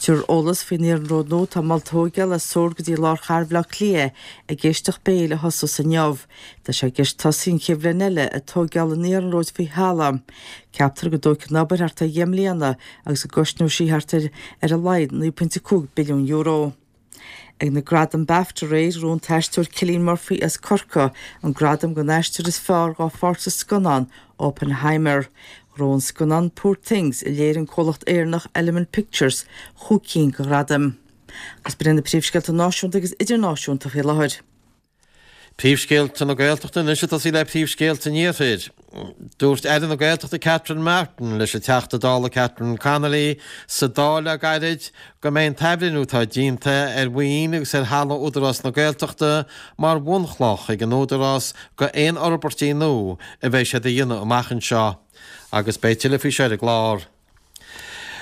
Tabharfar eolas faoin iarnród nua atá molta a thóigeáil as Sord go dtí lár chathair Bhaile Átha Cliath ag éisteacht béil a thosós inniu. Tá sé i gceist tosaí an chéad bhliain eile ag tóigeáil an iarnróid faoi thalamh. Ceaptar go dtógfaidh an obair thart ar dheich mbliana agus go gcosnóidh sí thart ar ar a laghad €9.5 billiún. Ag na Gradaim Bafta aréir, ghnóthaigh an t-aisteoir Cillian Murphy as Corcaigh an gradam don aisteoir is fearr dhá pháirt sa scannán Oppenheimer. Ghnóthaigh an scannán Poor Things, a léirigh an comhlacht Éireannach Element Pictures, chúig cinn de ghradaim. Agus b'in iad na príomhscéalta náisiúnta agus idirnáisiúnta faoi láthair. Príomhscéalta na Gaeltachta anois ag tosaí le príomhscéalta an Iarthair. Dúirt Aire na Gaeltachta Catherine Martin leis an Teachta Dála Catherine Connolly sa Dáil le gairid go mbeidh an t-athbhreithniú atá déanta ar mhaoin agus ar thalamh Údarás na Gaeltachta mar bhunchloch ag an Údarás go aon fhorbairtí nua a bheidh siad a dhéanamh amach anseo. Agus beidh tuilleadh faoi seo ar an gclár.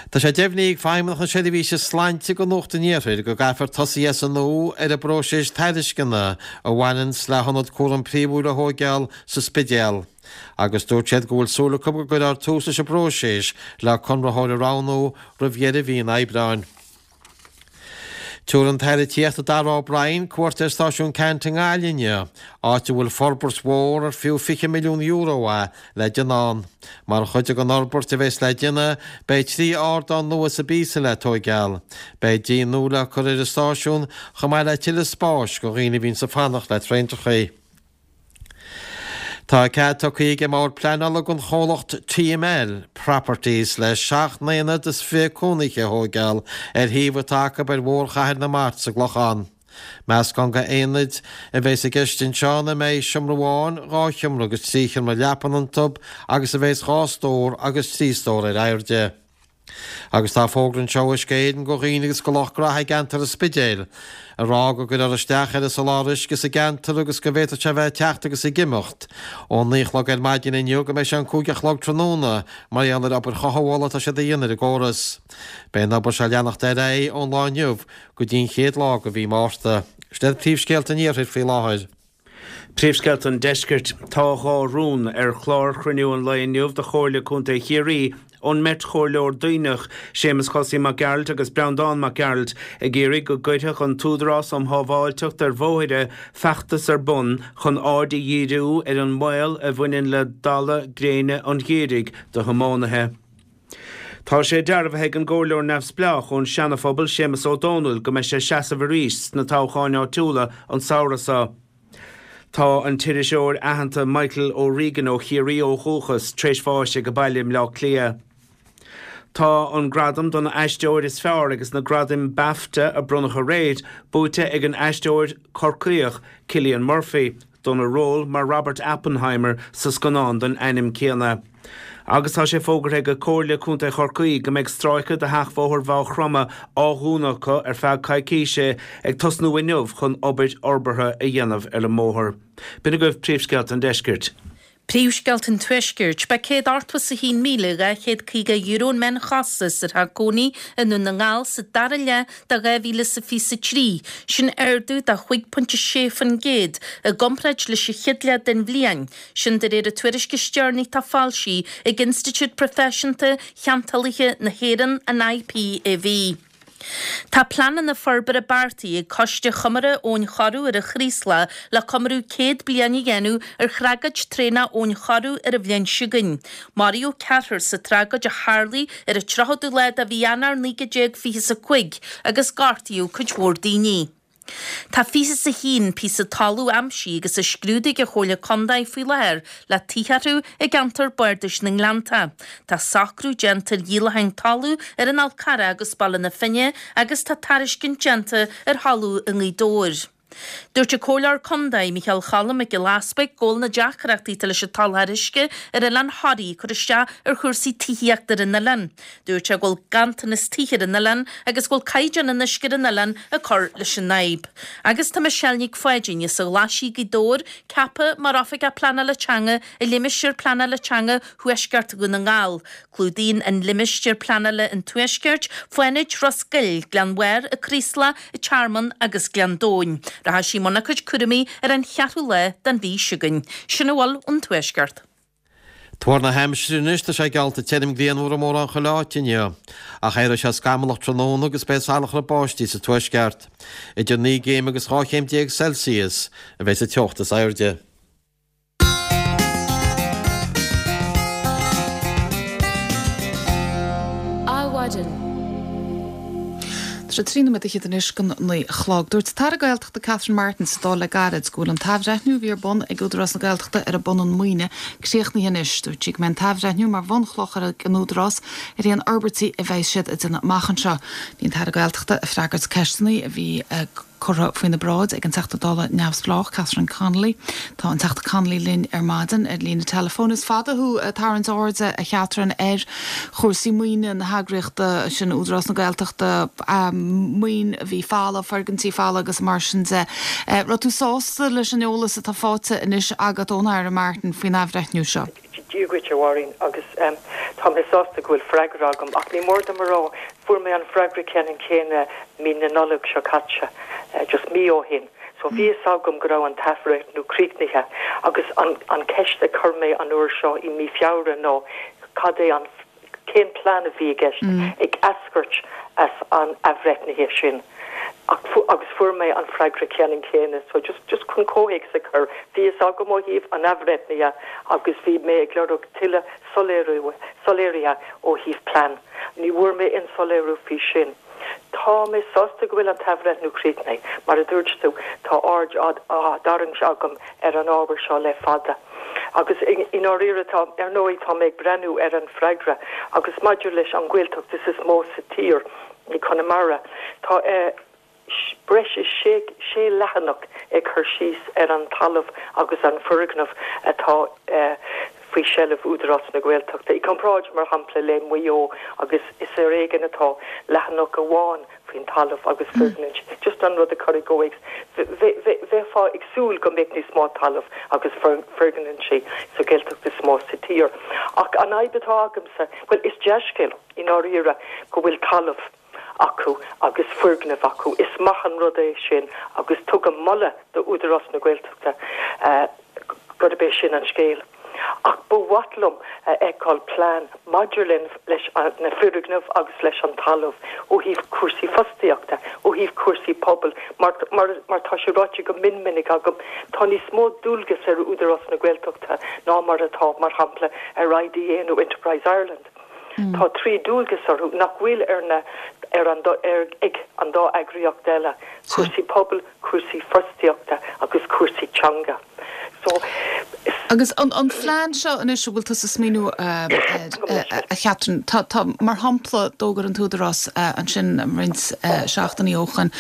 Tá sé deimhnithe ag Feidhmeannacht na Seirbhíse Sláinte do Nuacht an Iarthair go gcaithfear tosaí as an nua ar an bpróiseas tairisceana a bhaineanns le hionad cúram príomhúil a thóigeáil sa Spidéal. Agus dúirt siad go bhfuil súil acu go gcuirfear tús leis an bpróiseas le conraitheoir a roghnú roimh dheireadh mhí an Aibreáin. Tabharfaidh an tAire Tithíochta Darragh O'Brien cuairt ar Stáisiún Ceannt i nGaillimh inniu, áit a bhfuil forbairt mhór ar fiú €20 milliún é le déanamh ann. Mar chuid den fhorbairt a bheas le déanamh, beidh 3 ardán nua sa bpíosa le tóigeáil. Beidh díon nua le cur ar an stáisiún, chomh maith le tuilleadh spáis do dhaoine a bhíonns ag fanacht le traentrachaí. Tá cead tugtha ag an mBord Pleanála don chomhlacht TML Properties le 27 n-aonad cónaithe a thóigeáil ar shuíomh atá acu ar Bhóthar Chathair na Mart sa gClochán. Meascán de aonaid a bheas i gceist anseo ina mbeidh seomra amháin, 2 sheomra agus 3 sheomra leapan iontu agus a bheas 2 stór agus 3 stór ar airde. Agus tá fógra anseo ó Uisce Éireann go dhaoine agus go lucht graithe i gceantar an Spidéil, ag rá go gcuirfear isteach ar an soláthar uisce sa gceantar agus go bhféadfadh sé a bheith ag teacht agus ag imeacht ón 9 a chlog ar maidin inniu go mbeidh sé an 5 a chlog tráthnóna mar gheall ar obair chothabhála atá siad a dhéanamh ar an gcóras. Beidh an obair seo ag leanacht ar aghaidh ón lá inniu go dtí an chéad lá de mhí Márta. Sin iad príomhscéalta an Iarthair faoi láthair. Príomhscéalta an Deiscirt. Tá 2 rún ar chlár chruinniú an lae inniu de Chomhairle Contae Chiarraí ón mbeirt chomhairleoir Duibhneach, Séamus Chosaí Mac Gearailt agus Breandán Mac Gearailt, ag iarraidh go gcuirfeadh an tÚdarás um Shábháilteacht ar Bhóithre feachtas ar bun chun aird a dhíriú ar an mbaol a bhaineann le dalladh gréine an gheimhridh do thiománaithe. Tá sé dearbhaithe ag an gComhairleoir Neamhspleách ón Seana-Phobal, Séamus Ó Domhnaill, go mbeidh sé ag seasamh arís sna toghcháin áitiúla an samhradh seo. Tá an t-iriseoir aitheanta Michael O'Regan ó Chiarraí ó dhúchas tar éis bháis age baile i mBleá Cliath. Tá an gradam don aisteoir is fearr agus na gradaim Bafta a bronnadh aréir buaite ag an aisteoir Corcaíoch Cillian Murphy. dona ról mar Robert Oppenheimer sa scannán den ainm céanna. Agus tá sé fógartha ag Comhairle Contae Chorcaí go mbeidh stráice de sheachbhóthar Mhaigh Chromtha á dhúnadh acu ar feadh coicíse ag tosnú inniu chun obair fhorbartha a dhéanamh ar an mbóthar. B'in agaibh príomhscéalta an deiscirt. Príomhscéalta an Tuaiscirt, B'é €181,250 an meánchostas ar theach cónaí i nDún na nGall sa dara leath de 2023, sin ardú de 5.6% i gcomparáid leis an chéad leath den bhliain, sin de réir an tuairisc is deireanaí atá foilsithe ag Institiúid Proifisiúnta Cheantálaithe na hÉireann, an IPAV. Tá pleananna forbartha beartaithe ag Coiste Chomórtha Abhainn Choireadh ar an Chraoslach le comóradh 100 bliain a dhéanamh ar thragóid traenach Abhainn Choireadh ar an bhliain seo chugainn. Maraíodh ceathrar sa tragóid a tharlaigh ar an 30ú lá de mhí Eanáir 1925 agus gortaíodh cuid mhór daoine. Tá 21 píosa talaimh aimsithe agus á scrúdú ag an Chomhairle Contae faoi láthair le tithe orthu i gceantar Bardais na nGleannta. Tá socrú déanta ar dhíolacháin talaimh ar an Fhál Carrach agus Baile na Finne agus tá tairiscint déanta ar thalamh i nGaoth Dobhair. Dúirt an Comhairleoir Contae, Micheál Choilm Mac Giolla Easpaig, go bhfuil na deacrachtaí atá leis an tsoláthar uisce ar Oileán Thoraí ag cur isteach ar chúrsaí tithíochta ar an oileán. Dúirt sé go bhfuil ganntanas tithe ar an oileán agus go bhfuil caighdeán an uisce ar an oileán ag cur leis an fhadhb. Agus tá Michelle Nic Pháidín as an Ghlaisigh, Gaoth Dobhair, ceaptha mar Oifigeach Pleanála Teanga i Limistéar Pleanála Teanga Thuaisceart Dhún na nGall. Clúdaíonn an limistéar pleanála an Tuaisceart, Fánaid, Ros Goill, Gleann Bharr, An Craoslach, An Tearmann agus Gleann Domhain. Rachaidh sí i mbun a cuid cúraimí ar an cheathrú lá den mhí seo chugainn. Sin a bhfuil ón Tuaisceart. Tuar na haimsire anois, tá sé geallta tirim grianmhar i mórán chuile áit inniu. Ach éireoidh sé scamallach tráthnóna agus beidh salachar báistí sa tuaisceart. Idir 9 gcéim agus 12 chéim Celsius a bheidh sa teocht is airde. Adhmhaidin. Tá sé 13 nóiméad anois don 9 a chlog. Dúirt an tAire Gaeltachta Catherine Martin sa Dáil le gairid go bhfuil an t-athbhreithniú a bhí ar bun ag Údarás na Gaeltachta ar a bpunann maoine críochnaithe anois. Dúirt sí go mbeidh an t-athbhreithniú mar bhunchloch ag an Údarás ar aon fhorbairtí a bheidh siad ag déanamh amach anseo. Bhí an tAire Gaeltachta ag freagairt ceisteanna a bhí curtha faoina bráid ag an Teachta Dála neamhspleách, Catherine Connolly. Tá an Teachta Connolly linn ar maidin ar líne teileafóin. Is fada thú ag tarraingt airde, a Chatherine, ar chúrsaí maoine na heagraíochta sin, Údarás na Gaeltachta, maoin a bhí folamh, foirgintí folamh agus mar sin de. Raibh tú sásta leis an eolas atá faighte anois agat ón Aire Martin faoin athbhreithniú seo? Dia dhuit, a Mháirín, agus tá mé sásta go bhfuil freagra agam, ach ní mór dom a rá, fuair mé an freagra ceannann céanna mí na Nollag seo caite, just mí ó shin. So bhí fhios agam go raibh an t-athbhreithniú críochnaithe agus an an ceist a chuir mé an uair seo i mí Feabhra ná cad é an cén plean a bhí i gceist ag eascairt as an athbhreithnithe sin ach agus fuair mé an freagra ceannann céanna. So just just chun comhthéacs a chur, bhí fhios agam ó thaobh an athbhreithnithe agus bhí mé ag lorg tuilleadh soiléirithe ó thaobh plean. Ní bhfuair mé aon soiléiriú faoi sin. Tá mé sásta go bhfuil an t-athbhreithniú críochnaithe. Mar a dúirt tú, tá aird á dtarraingt agam ar an ábhar seo le fada. Agus i ndáiríre, tá, ar ndóigh, tá mé ag breathnú ar an bhfreagra agus maidir leis an Ghaeltacht is is mó sa tír, i Conamara, tá breis is sé leathanach ag cur síos ar an talamh agus an foirgneamh atá faoi sheilbh Údarás na Gaeltachta, i gcomparáid, mar shampla, le Maigh Eo agus is ar éigean atá leathanach amháin faoin talamh agus foirgnimh. Just an rud a chur i gcomhthéacs, bheifeá ag súil go mbeadh níos mó talamh agus foirgnimh sa Ghaeltacht is mó sa tír. Ach an fhadhb atá agamsa, bhuel, is dea-scéal i ndáiríre go bhfuil talamh acu agus foirgnimh acu. Is maith an rud é sin agus tugaim moladh do Údarás na Gaeltachta gurb é sin an scéal. Ach ba mhaith liom a fheiceáil plean maidir leis na foirgnimh agus leis an talamh ó thaobh cúrsaí fostaíochta, ó thaobh cúrsaí pobail, mar mar tá sé ráite go mion minic agam, tá níos mó dualgas ar Údarás na Gaeltachta ná mar atá, mar shampla, ar IDA nó Enterprise Ireland. Tá 3 dualgas orthu nach bhfuil ar na ar an ar ag an dá eagraíocht eile, cúrsaí pobail, cúrsaí fostaíochta agus cúrsaí teanga. So is. Agus an an phlean seo anois a bhfuil tusa ag smaoineamh air, a Chatherine, tá tá mar shampla d'fhógair an tÚdarás ansin roinnt seachtainí ó shoin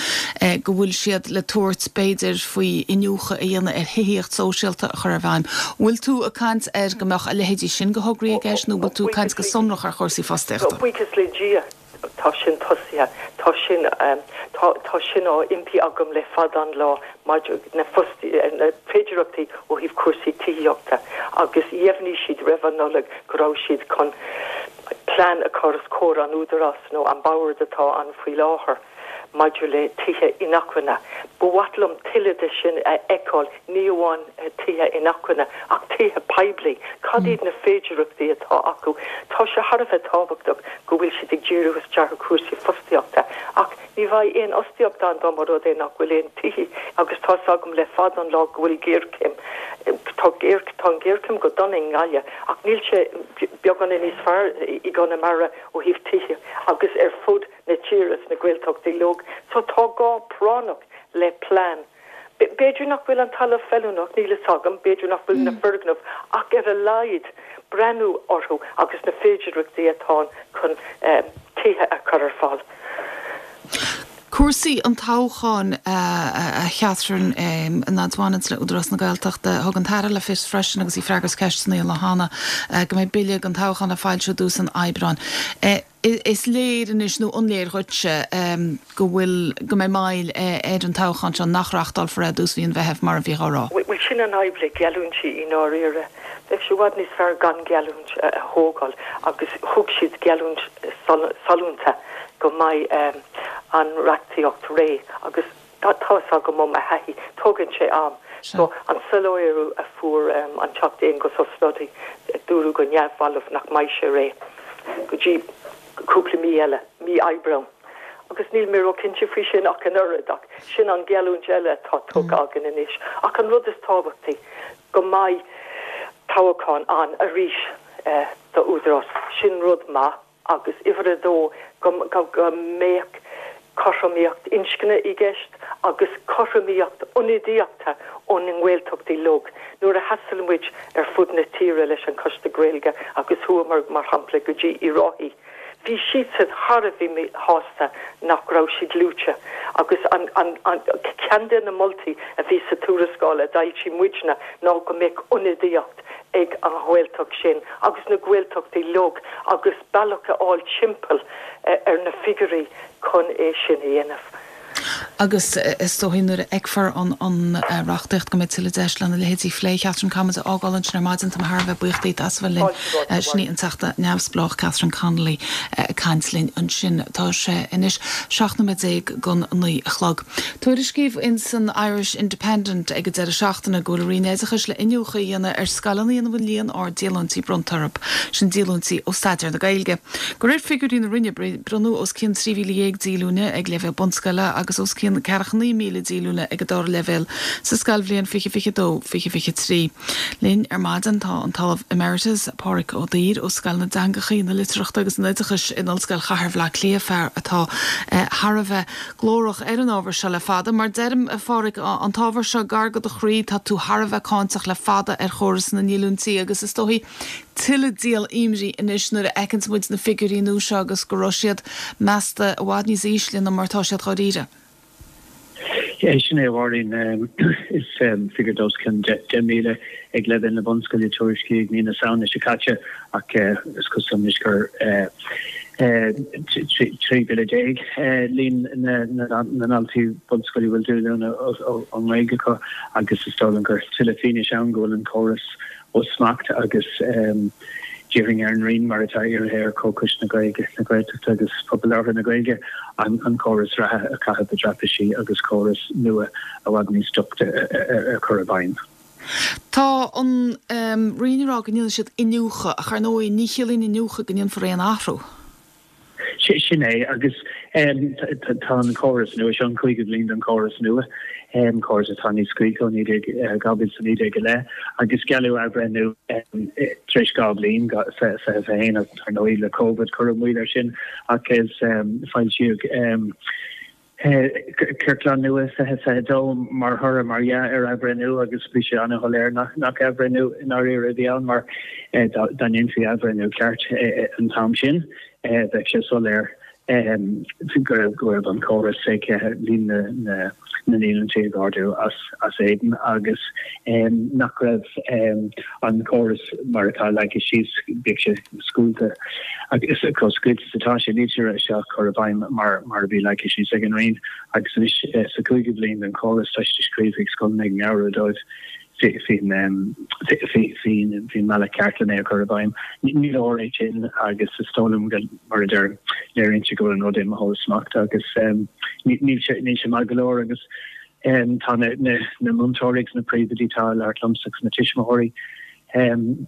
go bhfuil siad le tabhairt b'fhéidir faoi iniúchadh a dhéanamh ar thithíocht sóisialta a chur i bhfeidhm. Bhfuil tú ag caint ar go mbeadh a leithéidí sin de thograí i gceist nó bhfuil tú ag caint go sonrach ar chúrsaí fostaíochta? Buíochas le Dia tá sin tosaithe. Tá sin, tá, tá sin á impí agam le fada an lá maidir na fostaí, na féidearthachtaí ó thaobh cúrsaí tithíochta agus dheimhnigh siad roimh an Nollaig go raibh siad chun plean a chur os comhair an Údarás nó an bord atá ann faoi láthair. maidir le tithe inacmhainne. Ba mhaith liom tuilleadh de sin a fheiceáil, ní amháin tithe inacmhainne ach tithe poiblí. Cad iad na féidearthachtaí atá acu? Tá sé thar a bheith tábhachtach go bhfuil siad ag díriú isteach ar chúrsaí fostaíochta ach ní bheidh aon fhostaíocht ann dá mba rud é nach bhfuil aon tithe agus tá's agam le fada an lá go bhfuil géarchéim, tá tá an ghéarchéim go dona i nGaillimh ach níl sé beagáinín níos fearr i gConamara ó thaobh tithe agus ar fud na tíre sna Gaeltachtaí uilig. So tá gá práinneach le plean. B'fhéidir nach bhfuil an talamh feiliúnach, níl fhios agam, b'fhéidir nach bhfuil na foirgnimh ach ar a laghad breathnú orthu agus na féidearthachtaí atá ann chun tithe a chur ar fáil. Cúrsaí an toghcháin, a Chatherine, an fhad a bhaineanns le Údarás na Gaeltachta. Thug an tAire le fios freisin agus í ag freagairt ceisteanna an lá cheana go mbeidh bille don toghchán le foilsiú i dtús an Aibreáin. Is léir anois, nó an léir dhuitse, go bhfuil, go mbeidh moill ar an toghchán seo, nach reachtálfar é i dtús mhí an Mheithimh mar a bhí á rá? Bhuel, sin an fhadhb le geallúintí i ndáiríre. Bheadh sé i bhfad níos fearr gan geallúint a thógáil agus thug siad geallúint sollúnta go mbeidh an reachtaíocht réidh agus Tá fhios agam ó mo thaithí, tógann sé am. So, an soiléiriú a fuair an Teachta Aengus Ó Snodaigh, dúradh go neamhbhalbh nach mbeidh sé réidh go dtí cúpla mí eile, mí Aibreán. Agus níl mé róchinnte faoi sin ach an oiread, ach sin an gheallúint eile atá tugtha againn anois. Ach an rud is tábhachtaí, go mbeidh toghchán ann arís do Údarás, sin rud maith. agus uimhir a dó, go mbeadh cothromaíocht inscne i gceist agus cothromaíocht ionadaíochta ó na nGaeltachtaí uilig. Nuair a thaistil muid ar fud na tíre leis an Choiste Gaeilge agus chuamar, mar shampla, go dtí Uíbh Ráthaigh, bhí siadsan thar a bheith míshásta nach raibh siad luaite agus an ceann de na moltaí a bhí sa tuarascáil a d'fhoilsigh muidne ná go mbeadh ionadaíocht ag an Ghaeltacht sin agus na Gaeltachtaí uilig agus bealach a fháil timpeall ar na figiúirí chun é sin a dhéanamh. Agus is dóichí nuair a fheicfear an reachtaíocht go mbeidh tuilleadh deis lena leithéidí a phlé. Catherine, caithfidh muid a fhágáil ansin ar maidin. Tá mé thar a bheith buíoch díot as a bheith linn. Sin í an Teachta Neamhspleách Catherine Connolly ag caint linn ansin. Tá sé anois 17 nóiméad don 9 a chlog. Tuairiscíodh in san Irish Independent ag an deireadh seachtaine go bhfuil an Roinn Oideachais le iniúchadh a dhéanamh ar scoileanna ina bhfuil líon ard díolúintí bronnta orthu. Sin díolúintí ó staidéar na Gaeilge. De réir figiúirí na Roinne, bronnadh os cionn 13,000 díolúine ag leibhéal bunscoile agus os cionn 49,000 díolúine ag an dara leibhéal sa scoilbhliain 2022, 2023. Linn ar maidin tá an tOllamh Emeritus Pádraig Ó Duibhir ó Scoil na dTeangacha, na Litearthachta agus an Oideachais in Ollscoil Chathair Bhaile Átha Cliath, fear atá thar a bheith glórach ar an ábhar seo le fada. Mar deirim, a Phádraig, an t-ábhar seo gar do do chroí, tá tú thar a bheith cáinteach le fada ar chóras na ndíolúintí agus is dóichí tuilleadh díol imní anois nuair a fheiceanns muid na figiúirí nua seo agus go raibh siad measta i bhfad níos ísle ná mar atá siad dháiríre. Sin é, a Mháirín. Is figiúr de os cionn 10,000 ag leibhéal na bunscoile a tuairiscíodh mí na Samhna seo caite ach is cosúil anois gur 13,000 líon na ndaltaí bunscoile a bhfuil díolúine ón nGaeilge acu agus is dóigh liom gur tuilleadh fianaise ann go bhfuil an córas ó smacht agus d'iarrfainn ar an Roinn, mar atá iarrtha ar Chomhchoiste na Gaeilge, na Gaeltachta agus Pobal Labhartha na Gaeilge, an córas reatha a chaitheamh i dtraipisí agus córas nua i bhfad níos doichte a chur i bhfeidhm. Tá an Roinn ag rá go ndéanfaidh siad iniúchadh, ach ar ndóigh ní chiallaíonn iniúchadh go ndéanfar aon athrú. Sin é, agus tá an córas nua seo, an cúigiú bliain den chóras nua, córas atá níos scaoilte ó 2019 i leith, agus gealladh athbhreithniú tar éis 2 bhliain, 2021, ach ar ndóigh le Covid cuireadh moill air sin, ach is foilsíodh Ciorclán nua 2022 mar thoradh, mar dhea, ar athbhreithniú agus bhí sé an-shoiléir nach athbhreithniú i ndáiríre a bhí ann mar dá ndéanfaí athbhreithniú ceart an t-am sin bheadh sé soiléir go raibh an córas ag líon na ndíolúintí ag ardú as éadan agus nach raibh an córas mar atá leagtha síos, bíodh sé scaoilte agus chomh scaoilte is atá sé, níl sé á chur i bhfeidhm mar mar a bhí leagtha síos ag an Roinn agus anois sa chúigiú bliain den chóras tá siad ag scríobh chuig scoileanna ag meabhrú dóibh faoin mbealach ceart lena é a chur i bhfeidhm. Ní leor é sin agus is dóigh liom go, mar a deirim, léiríonn sé go bhfuil an rud imithe ó smacht agus níl sé níl sé maith go leor agus tá na múinteoirí agus na príomhoidí atá ag labhairt liomsa agus na tuismitheoirí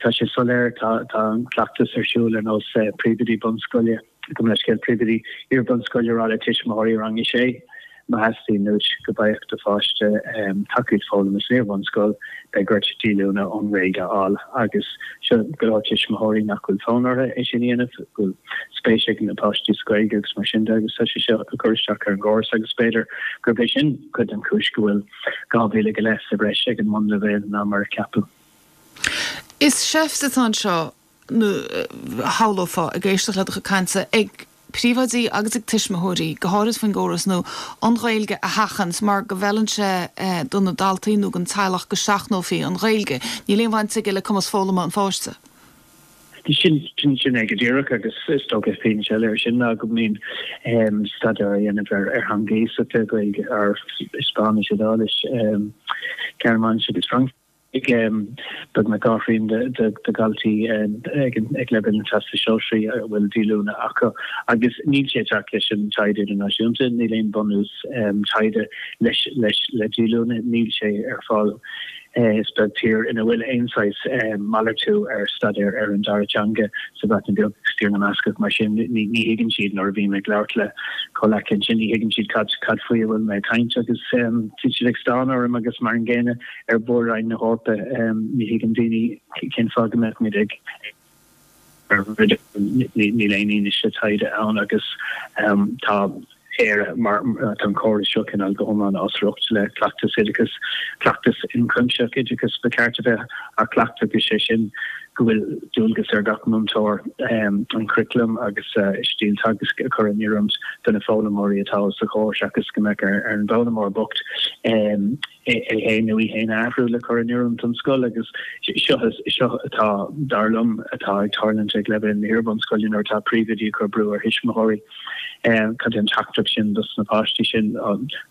Tá sé soiléir, tá an cleachtas ar siúl ar nós príomhoidí bunscoile, gabh mo leithscéal, príomhoidí iar-bhunscoile ag rá le tuismitheoirí rang a sé, má theastaíonn uait go bhfaigheadh do pháiste tacaíocht foghlama san iar-bhunscoil, beidh ort díolúine ón nGaeilge a fháil. Agus seo go leor tuismitheoirí nach bhfuil fonn orthu é sin a dhéanamh, go bhfuil spéis ag na páistí sa Ghaeilge agus mar sin de agus tá sé seo ag cur isteach ar an gcóras agus b'fhéidir gurb é sin cuid den chúis go bhfuil 2,000 go leith sa bhreis ag an mbunleibhéal ná mar a ceapadh. Is seift atá anseo, nó shamhlófá, ag éisteacht le do chuid cainte, ag príomhoidí agus ag tuismitheoirí, go háirid faoin gcóras nua, an Ghaeilge a sheachaint mar go bhfeileann sé do na daltaí nó don teaghlach go seachnófaí an Ghaeilge. Níl aon bhaint aige le cumas foghlama an pháiste. Sin sin é go díreach agus is dócha fianaise eile air sin ná go mbíonn staidéar á dhéanamh ar theanga iasachta, Gaeilge, Spáinnis, Iodáilis, Gearmáinis agus Fraincis ag beagnach dhá thrian de dhaltaí ag leibhéal na Teastais Sóisearaí a bhfuil díolúine acu agus níl sé ag teacht leis an taighde idirnáisiúnta, níl aon bhunús taighde leis le díolúine, níl sé ar fáil. Is beag tír ina bhfuil aon saghas malartú ar staidéar ar an dara teanga sa Bhreatain Bheag agus Tír na mBascach. Mar sin, ní thuigeann siad nuair a bhím ag labhairt le comhleacaithe ansin, ní thuigeann siad cad cad faoi a bhfuil mé ag caint agus bíonn siad ag stánadh orm agus mar an gcéanna ar Mhór-Roinn na hEorpa, ní thuigeann daoine cén fáth go mbeadh muid ag Níl aon fhianaise taighde ann agus tá Éire mar tá an córas seo cineál go hiomlán as riocht le cleachtas oideachais, cleachtas ionchuimsitheach oideachais ba cheart a bheith á chleachtadh agus sé sin. go bhfuil dualgas ar gach múinteoir an curriculum agus stíl teagaisc a chur in oiriúint do na foghlaimeoirí atá os a chomhair seachas go mbeadh ar an bhfoghlaimeoir bocht é féin nó í féin a athrú le cur in oiriúint don scoil agus seo seo atá, dar liom, atá ag tarlúint ag leibhéal na hiarbhunscoile nuair atá príomhoidí ag cur brú ar thuismitheoirí. Cad é an teachtaireacht sin dos na páistí sin?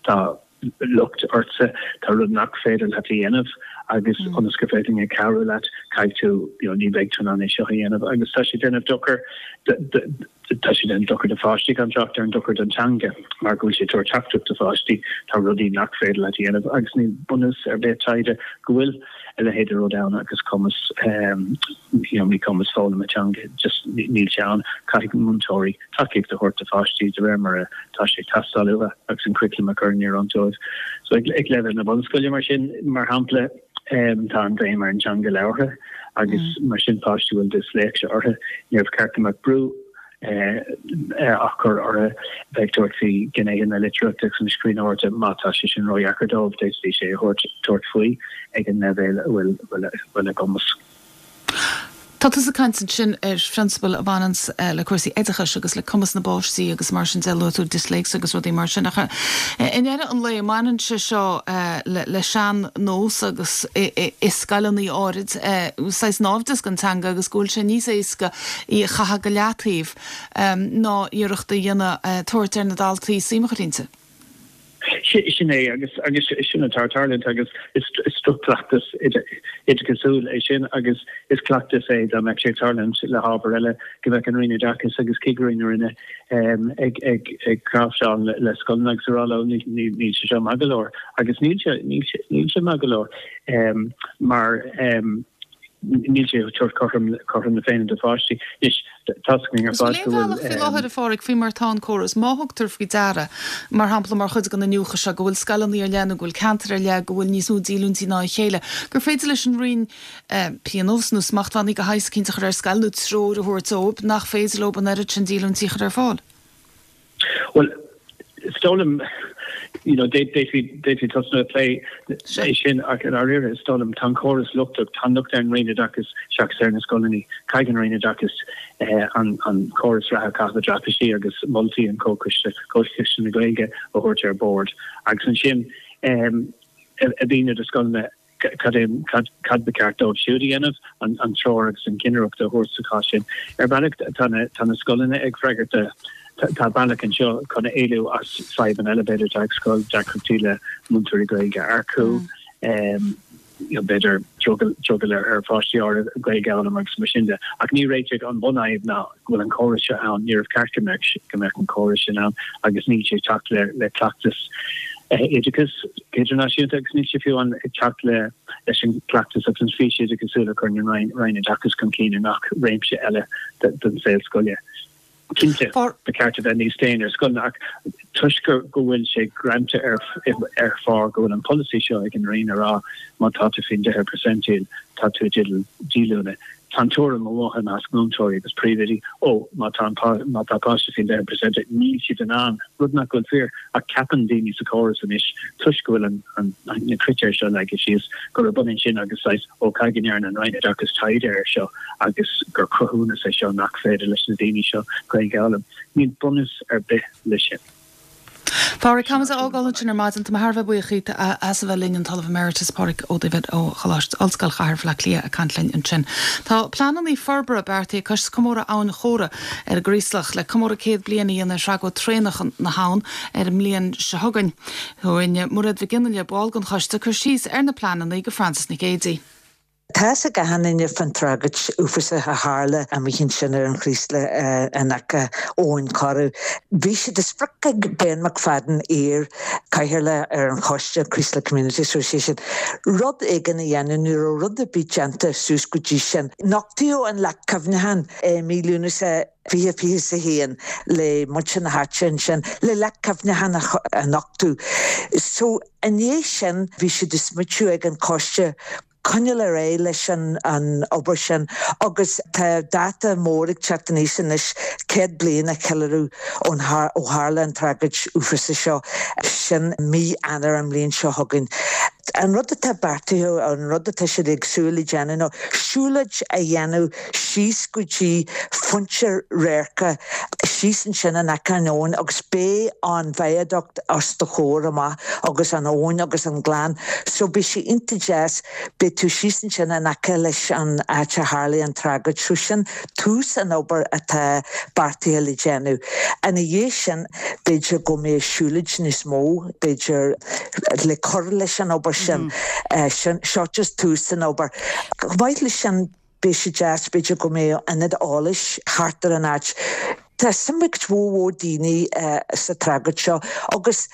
Tá locht ortsa, tá rud nach féidir leat a dhéanamh agus ionas gur féidir linn cabhrú leat, caithfidh tú, you know, ní bheidh tú in ann é seo a dhéanamh agus tá sé ag déanamh dochar, tá sé ag déanamh dochar do pháistí gan trácht ar an dochar don teanga mar go bhfuil sé ag tabhairt teachtaireacht do pháistí, tá rudaí nach féidir leat a dhéanamh agus níl bunús ar bith taighde go bhfuil a leithéid de rud ann agus cumas, you know, míchumas foghlama teanga, just níl sé ann, caithfidh múinteoirí. tacaíocht a thabhairt do pháistí de réir mar atá sé ag teastáil uathu agus an curriculum a chur in oiriúint dóibh. So ag leibhéal na bunscoile mar sin, mar shampla, tá an bhéim ar an teanga labhartha agus mar sin páistí a bhfuil disléicse orthu, níor cheart go mbeadh brú á chur orthu bheith ag tabhairt faoi ghnéithe na litríochta agus na scríbhneoireachta má tá sé sin ródheacair dóibh, d'fhéadfaidís é a thabhairt faoi ag an leibhéal a bhfuil a gcumas. Tá tusa ag caint ansin ar phrionsabail a bhaineanns le cúrsaí oideachais agus le cumas na bpáistí agus mar sin de, luaigh tú disléicse agus rudaí mar sin ach i ndeireadh an lae baineann sé seo le sean-nós agus i scoileanna áirid saghas naimhdeas don teanga agus go bhfuil sé níos éasca í a chaitheamh go leataobh ná iarracht a dhéanamh tabhairt ar na daltaí suim a chur inti. Sin é, agus agus sin atá ag tarlúint agus is droch-chleachtas oideachasúil é sin agus is cleachtas é dá mbeadh sé ag tarlúint le hábhar eile go mbeadh an Roinn Oideachais agus cigirí na Roinne ag ag ag cnáimhseáil le scoileanna agus ag rá leo níl sé seo maith go leor agus níl sé níl sé níl sé maith go leor mar níl sé ag tabhairt cothrom cothrom na Féinne do pháistí. Anois, tá's againn ar fad go bhfuil. An bhfuil aon bhealach faoi láthair, a Phádraig, faoi mar atá an córas, má thugtar faoi deara, mar shampla mar chuid den iniúchadh seo, go bhfuil scoileanna ar leith nó go bhfuil ceantair ar leith go bhfuil níos mó díolúintí ná a chéile, gur féidir leis an Roinn pionós nó smachtbhannaí de shaghas eicínt a chur ar scoil nó treoir a thabhairt dóibh nach féidir leo an oiread sin díolúintí a chur ar fáil? Bhuel, is dóigh liom, you know, d'fhéadfaí, d'fhéadfaí tosnú ag plé é sin ach i ndáiríre is dóigh liom, tá an córas lochtach, tá an locht ar an Roinn Oideachais seachas ar na scoileanna. Caithfidh an Roinn Oideachais an, an córas reatha a chaitheamh i dtraipisí agus moltaí an Chomhchoiste, Comhchoiste na Gaeilge a thabhairt ar bord agus ansin a mhíniú do scoileanna cad é, cad ba cheart dóibh siúd a dhéanamh, an treoir agus an chinnireacht a thabhairt sa chás sin. Ar bhealach, tá na, tá na scoileanna ag freagairt do, tá bealach anseo chun éalú as fadhbanna eile, b'fhéidir, atá ag scoil, deacrachtaí le múinteoirí Gaeilge a earcú, b'fhéidir drogall, drogall ar pháistí áirithe Gaeilge a fhoghlaim agus mar sin de. Ach ní réiteoidh an bunfhadhb ná go bhfuil an córas seo ann, níorbh cheart go mbeadh, go mbeadh an córas sin ann agus níl sé ag teacht le, le cleachtas oideachais idirnáisiúnta agus níl sé fiú ag teacht le, leis an gcleachtas agus an fís oideachasúil a chuireann an Roinn, Roinn Oideachais chun cinn i ngach réimse eile den saol scoile. Cinnte, ba cheart a bheith níos déine ar scoileanna ach toisc go bhfuil sé greanta ar ar phár go bhfuil an polasaí seo ag an Roinn a rá má tá tú faoin 10 percentile tá tú i dteideal díolúine. Tá an tuairim amuigh i measc múinteoirí agus príomhoidí, ó, má tá an má tá páiste faoin 10 percentile níl siad in ann, rud nach bhfuil fíor, ach ceapann daoine sa chóras anois toisc go bhfuil an an na critéir seo leagtha síos gurb ionann sin agus saghas ó caithfidh go ndearna an Roinn Oideachais taighde air seo agus gur cruthúnas é seo nach féidir leis na daoine seo Gaeilge a fhoghlaim. Níl bunús ar bith leis sin. Pádraig, caithfimid a fhágáil ansin ar maidin. Tá mé thar a bheith buíoch díot as a bheith linn, an tOllamh Emeritus Pádraig Ó Duibhir ó Choláiste Ollscoil Chathair Bhaile Átha Cliath ag caint linn ansin. Tá pleananna forbartha beartaithe ag Coiste Comórtha Abhainn Chora ar an gCraoslach le comóradh 100 bliain a dhéanamh ar thragóid traenach na habhann ar an mbliain seo chugainn. Rinne Mairéad Mhic Fhionnghaile, ball den choiste, cur síos ar na pleananna do Frances Nic Géadaigh. Tá fhios ag achan duine fán tragóid uafásach a tharla amuigh ansin ar an Chraoslach in aice Abhainn Chora. Bhí sé de sprioc ag Ben McFadden, iar Chathaoirleach ar an choiste, Creeslough Community Association, rud éigin a dhéanamh, ní raibh rud ar bith déanta suas go dtí sin. Nochtaíodh an leac cuimhneacháin i mí Lúnasa 2021 le muintir na háite ansin le leac cuimhneacháin a nochtadh. So i ndiaidh sin bhí sé de smaoitiú ag an choiste coinneáil ar aghaidh leis an obair sin agus tá dáta mór ag teacht aníos anois, 100 bliain a cheiliúradh ó tharla an tragóid uafásach seo, sin mí Eanáir an bhliain seo chugainn. An rud atá beartaithe, an rud atá siad ag súil le déanamh ná siúlóid a dhéanamh síos go dtí pointe radhairce síos ansin in aice an abhainn agus beidh an viaduct os do chomhair amach agus an abhainn agus an gleann so beidh sé iontach deas, beidh tú síos ansin in aice leis an áit a tharlaigh an tragóid so sin tús an obair atá beartaithe le déanamh. Ina dhiaidh sin b'fhéidir go mbeidh siúlóid níos mó, b'fhéidir le cur leis an obair sin. Sin, seo just tús an obair. Chomh maith leis sin, beidh sé deas b'fhéidir go mbeadh ionad eolais thart ar an áit. Tá suim ag cuid mhór mhór daoine sa tragóid seo agus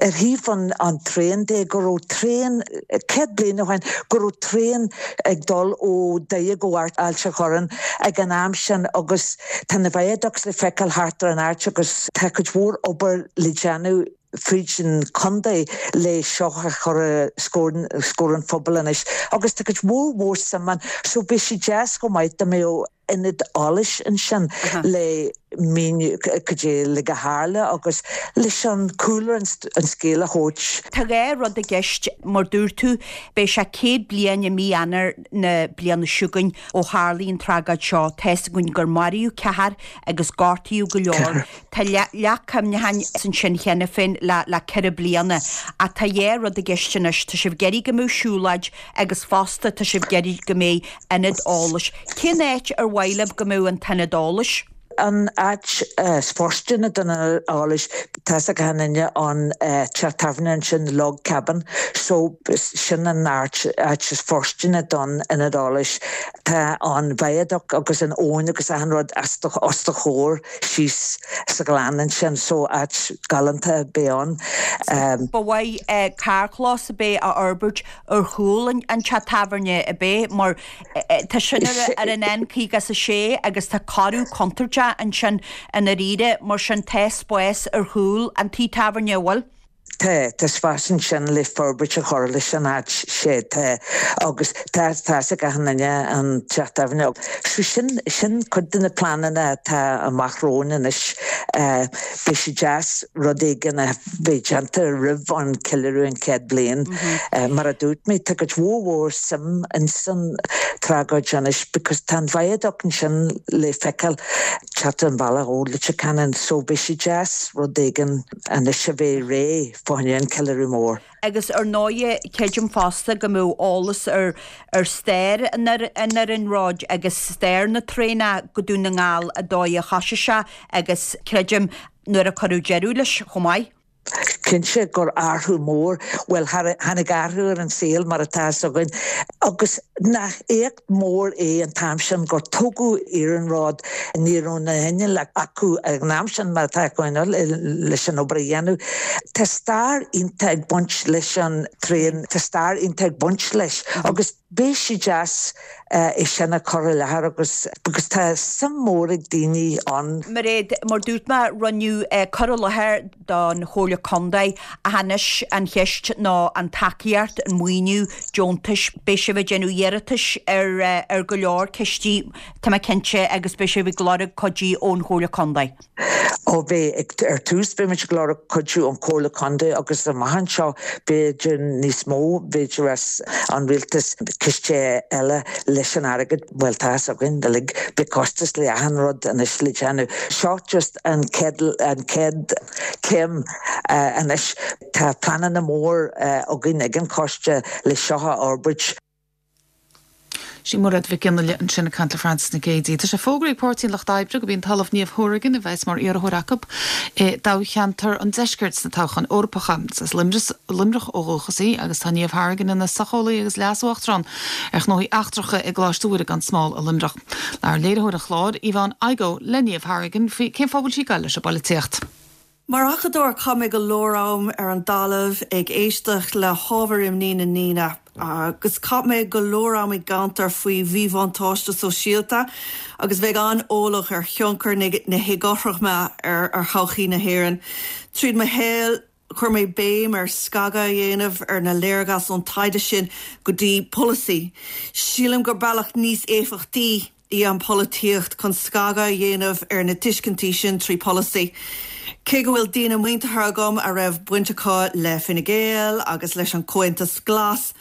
ar thaobh an an traein de, go raibh traein, 100 bliain ó shin, go raibh traein ag dul ó Doire go Ailt a' Chorráin ag an am sin agus Tá na viaducts le feiceáil thart ar an áit agus tá cuid mhór obair le déanamh fríd an chontae le seo a chur os comhair an phobail anois agus tá cuid mhór mhór suim ann so beidh sé deas chomh maith dá mbeadh ionad eolais ansin le míniú cad é uilig a tharla agus leis an cúlra an scéal a thabhairt. Tá 2 rud i gceist, mar dúirt tú, beidh sé 100 bliain i mí Eanáir na bliana seo chugainn ó tharlaigh an tragóid seo. Tá's againn gur maraíodh ceathar agus gortaíodh go leor. Tá leac cuimhneacháin ansin cheana féin le le 4 bliana. Ach tá 2 rud i gceist anois, tá sibh ag iarraidh go mbeadh siúlóid agus fosta tá sibh ag iarraidh go mbeidh ionad eolais. Cén áit ar mhaith libh go mbeadh an t-ionad eolais? An áit is fóirsteanaí don ionad eolais, tá's ag achan duine an teach tábhairne ansin, Log Cabin, so sin an áit áit is fóirsteanaí don ionad eolais. Tá an viaduct agus an abhainn agus achan rud os do os do chomhair síos sa ghleann ansin, so áit galánta a bheidh ann. Ba mhaith carrchlós ab é a fhorbairt ar chúl an teach tábhairne ab é mar Tá sin ar an N56 agus tá cóiriú contúirteach ansin i ndáiríre, mar sin tá spás ar chúl an tí tábhairne, an bhfuil? Tá, tá spás ansin le forbairt a chur leis an áit, sea, tá. Agus tá, tá's ag achan duine an teach tábhairne. So sin, sin cuid de na pleananna atá amach romhainn anois. Beidh sé deas rud éigin a bheith déanta roimh an ceiliúradh an 100 bliain. Mar a dúirt mé, tá cuid mhór mhór suim ins an tragóid anois because tá an viaduct ansin le feiceáil teacht an bhealach ó Leitir Ceanainn so beidh sé deas rud éigin anois a bheith réidh fá choinne an ceiliúradh mór. Agus ar ndóighe, creidim fosta go mbeadh eolas ar ar stair an iarnróid agus stair na traenach go Dún na nGall, an dóigh a thosaigh sé agus creidim nuair a cuireadh deireadh leis chomh maith. Cinnte gur athrú mór, bhuel tháinig athrú ar an saol mar atá fhios againn agus nach éacht mór é an t-am sin gur tógadh iarnród, ní raibh na hinnill acu ag an am sin mar atá acu inniu leis an obair a dhéanamh. Tá stair iontach ag baint leis an traein, tá stair iontach ag baint leis agus beidh sé deas é sin a chur i láthair agus because tá suim mór ag daoine ann. Mairéad, mar dúirt mé, rinneadh cur i láthair don Chomhairle Contae ach anois an cheist ná an tacaíocht, an maoiniú, deontais. Beidh sibh ag déanamh iarratais ar ar go leor cistí, tá mé cinnte, agus beidh sibh ag lorg cuidiú ón Chomhairle Contae. Ó beidh, ar tús beidh muid ag lorg cuidiú ón Chomhairle Contae agus amach anseo b'fhéidir níos mó, b'fhéidir as an rialtas, ciste eile leis an airgead, bhuel tá fhios againn uilig, beidh costas le achan rud anois le déanamh. Seo just an chéad, an chéad céim anois. Tá pleananna mór againn ag an choiste le seo a fhorbairt. Sí Mairéad Mhic Fhionnaile ansin ag caint le Frances Nic Géadaigh. Tá sé fógraithe ag Páirtí an Lucht Oibre gurb í an tOllamh Niamh Hourigan a bheas mar iarrthóir acu i dtoghcheantar an Deiscirt sna toghcháin Eorpacha. Is as Luimneach ó dhúchas í agus tá Niamh Hourigan ina socheolaí agus leas-uachtarán ar ghnóthaí eachtracha i gColáiste Mhuire gan Smál i Luimneach. Labhair léiritheoir an chláir, Yvonne Igoe, le Niamh Hourigan faoi cén fáth a bhfuil sí ag goil leis an bpolaitíocht. Mar acadóir chaith mé go leor am ar an dtalamh ag éisteacht le hábhair imní na ndaoine agus chaith mé go leor am i gceantair faoi mhíbhuntáiste sóisialta agus bheith an-eolach ar thionchar na héagothroime ar thodhchaí na hÉireann. Tríd mo shaol chuir mé béim ar scagadh a dhéanamh ar na léargas ón taighde sin go dtí polasaí. Sílim gur bealach níos éifeachtaí í an pholaitíocht chun scagadh a dhéanamh ar na tuiscintí sin trí pholasaí. Cé go bhfuil daoine muinteartha agam a raibh baint acu le Fine Gael agus leis an Comhaontas Glas,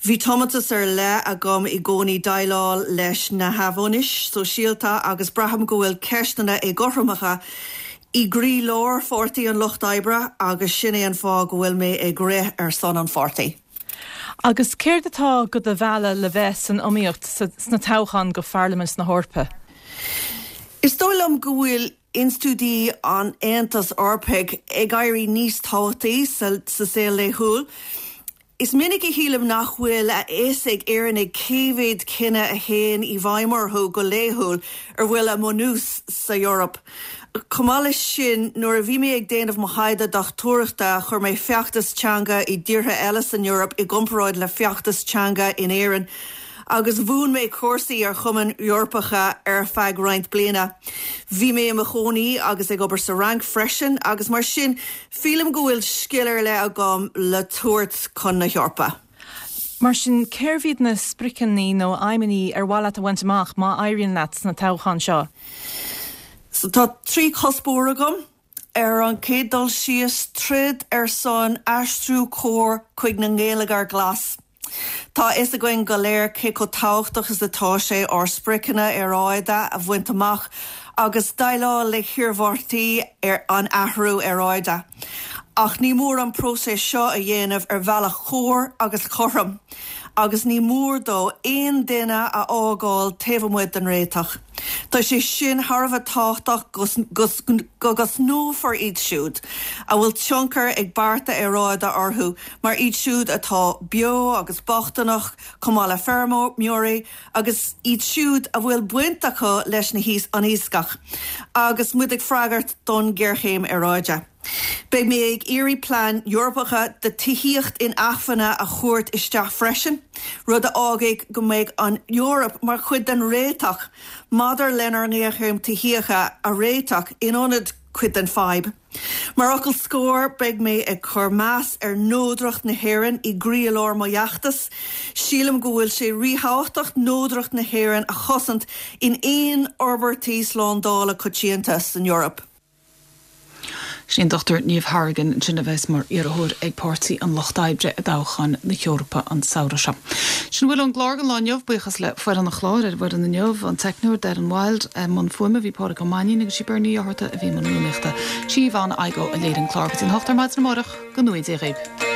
bhí tiomantas ar leith agam i gcónaí déileáil leis na neamhionannais sóisialta agus braithim go bhfuil ceisteanna éagothromaithe i gcroílár Pháirtí an Lucht Oibre agus sin é an fáth go bhfuil mé ag rith ar son an pháirtí. Agus céard atá go do mhealladh le bheith san iomaíocht sna toghcháin go Pharlaimint na hEorpa? Is dóigh liom go bhfuil institiúidí an Aontais Eorpaigh ag éirí níos tábhachtaí sa saol laethúil. Is minic a shílim nach bhfuil a fhios ag Éireannaigh cé mhéad cinneadh a théann i bhfeidhm orthu go laethúil ar bhfuil a mbunús sa Eoraip. Chomh maith leis sin, nuair a bhí mé ag déanamh mo thaighde dochtúireachta, chuir mé feachtais teanga i dtíortha eile san Eoraip i gcomparáid le feachtais teanga in Éirinn agus mhúin mé cúrsaí ar chumainn Eorpacha ar feadh roinnt bliana. Bhí mé i mo chónaí agus ag obair sa Fhrainc freisin agus mar sin Sílim go bhfuil scil ar leith agam le tabhairt chun na hEorpa. Mar sin, cérbh iad na spriocanna nó aidhmeanna ar mhaith leat a bhaint amach má éiríonn leat sna toghcháin seo? So tá 3 chuspóir agam. Ar an chéad dul síos, troid ar son aistriú cóir chuig an ngeilleagar glas. Tá a fhios againn go léir cé chomh tábhachtach is atá sé ár spriocanna aeráide a bhaint amach agus déileáil le hiarmhairtí an athrú aeráide. Ach ní mór an próiseas seo a dhéanamh ar bhealach chóir agus chothrom, agus ní mór dó aon duine a fhágáil taobh amuigh den réiteach. Tá sé sin thar a bheith tábhachtach go gcosnófar iad siúd a bhfuil tionchar ag bearta aeráide orthu, mar iad siúd atá beo agus bochtaineach, chomh maith le feirmeoirí agus iad siúd a bhfuil baint acu leis an iascach, agus muid ag freagairt don ghéarchéim aeráide. Beidh mé ag iarraidh plean Eorpacha do tithíocht inacmhainne a thabhairt isteach freisin, rud a fhágfaidh go mbeidh an Eoraip mar chuid den réiteach maidir lenár ngéarchéim tithíochta a réiteach in ionad cuid den fadhb. Mar fhocal scoir, beidh mé ag cur meas ar neodracht na hÉireann i gcroílár mo fheachtas. Sílim go bhfuil sé ríthábhachtach neodracht na hÉireann a chosaint in aon fhorbairtí slándála coitianta san Eoraip. Sin an Dr Niamh Hourigan ansin a bheas mar iarrthóir ag Páirtí an Lucht Oibre i dtoghchán na hEorpa an samhradh seo. Sin a bhfuil ón gclár don lá inniu. Buíochas le foireann an chláir ar an bhfoireann inniu, an teicneoir Darren Wilde, i mbun fuaime bhí Pádraig Ó Mainnín agus sí Bernie Ní Fhátharta a bhí i mbun rúnaíochta. Sí Yvonne Igoe a léirigh an clár go dtí an 8 ar maidin amárach. Go ngnóthaí Dia dhaoibh.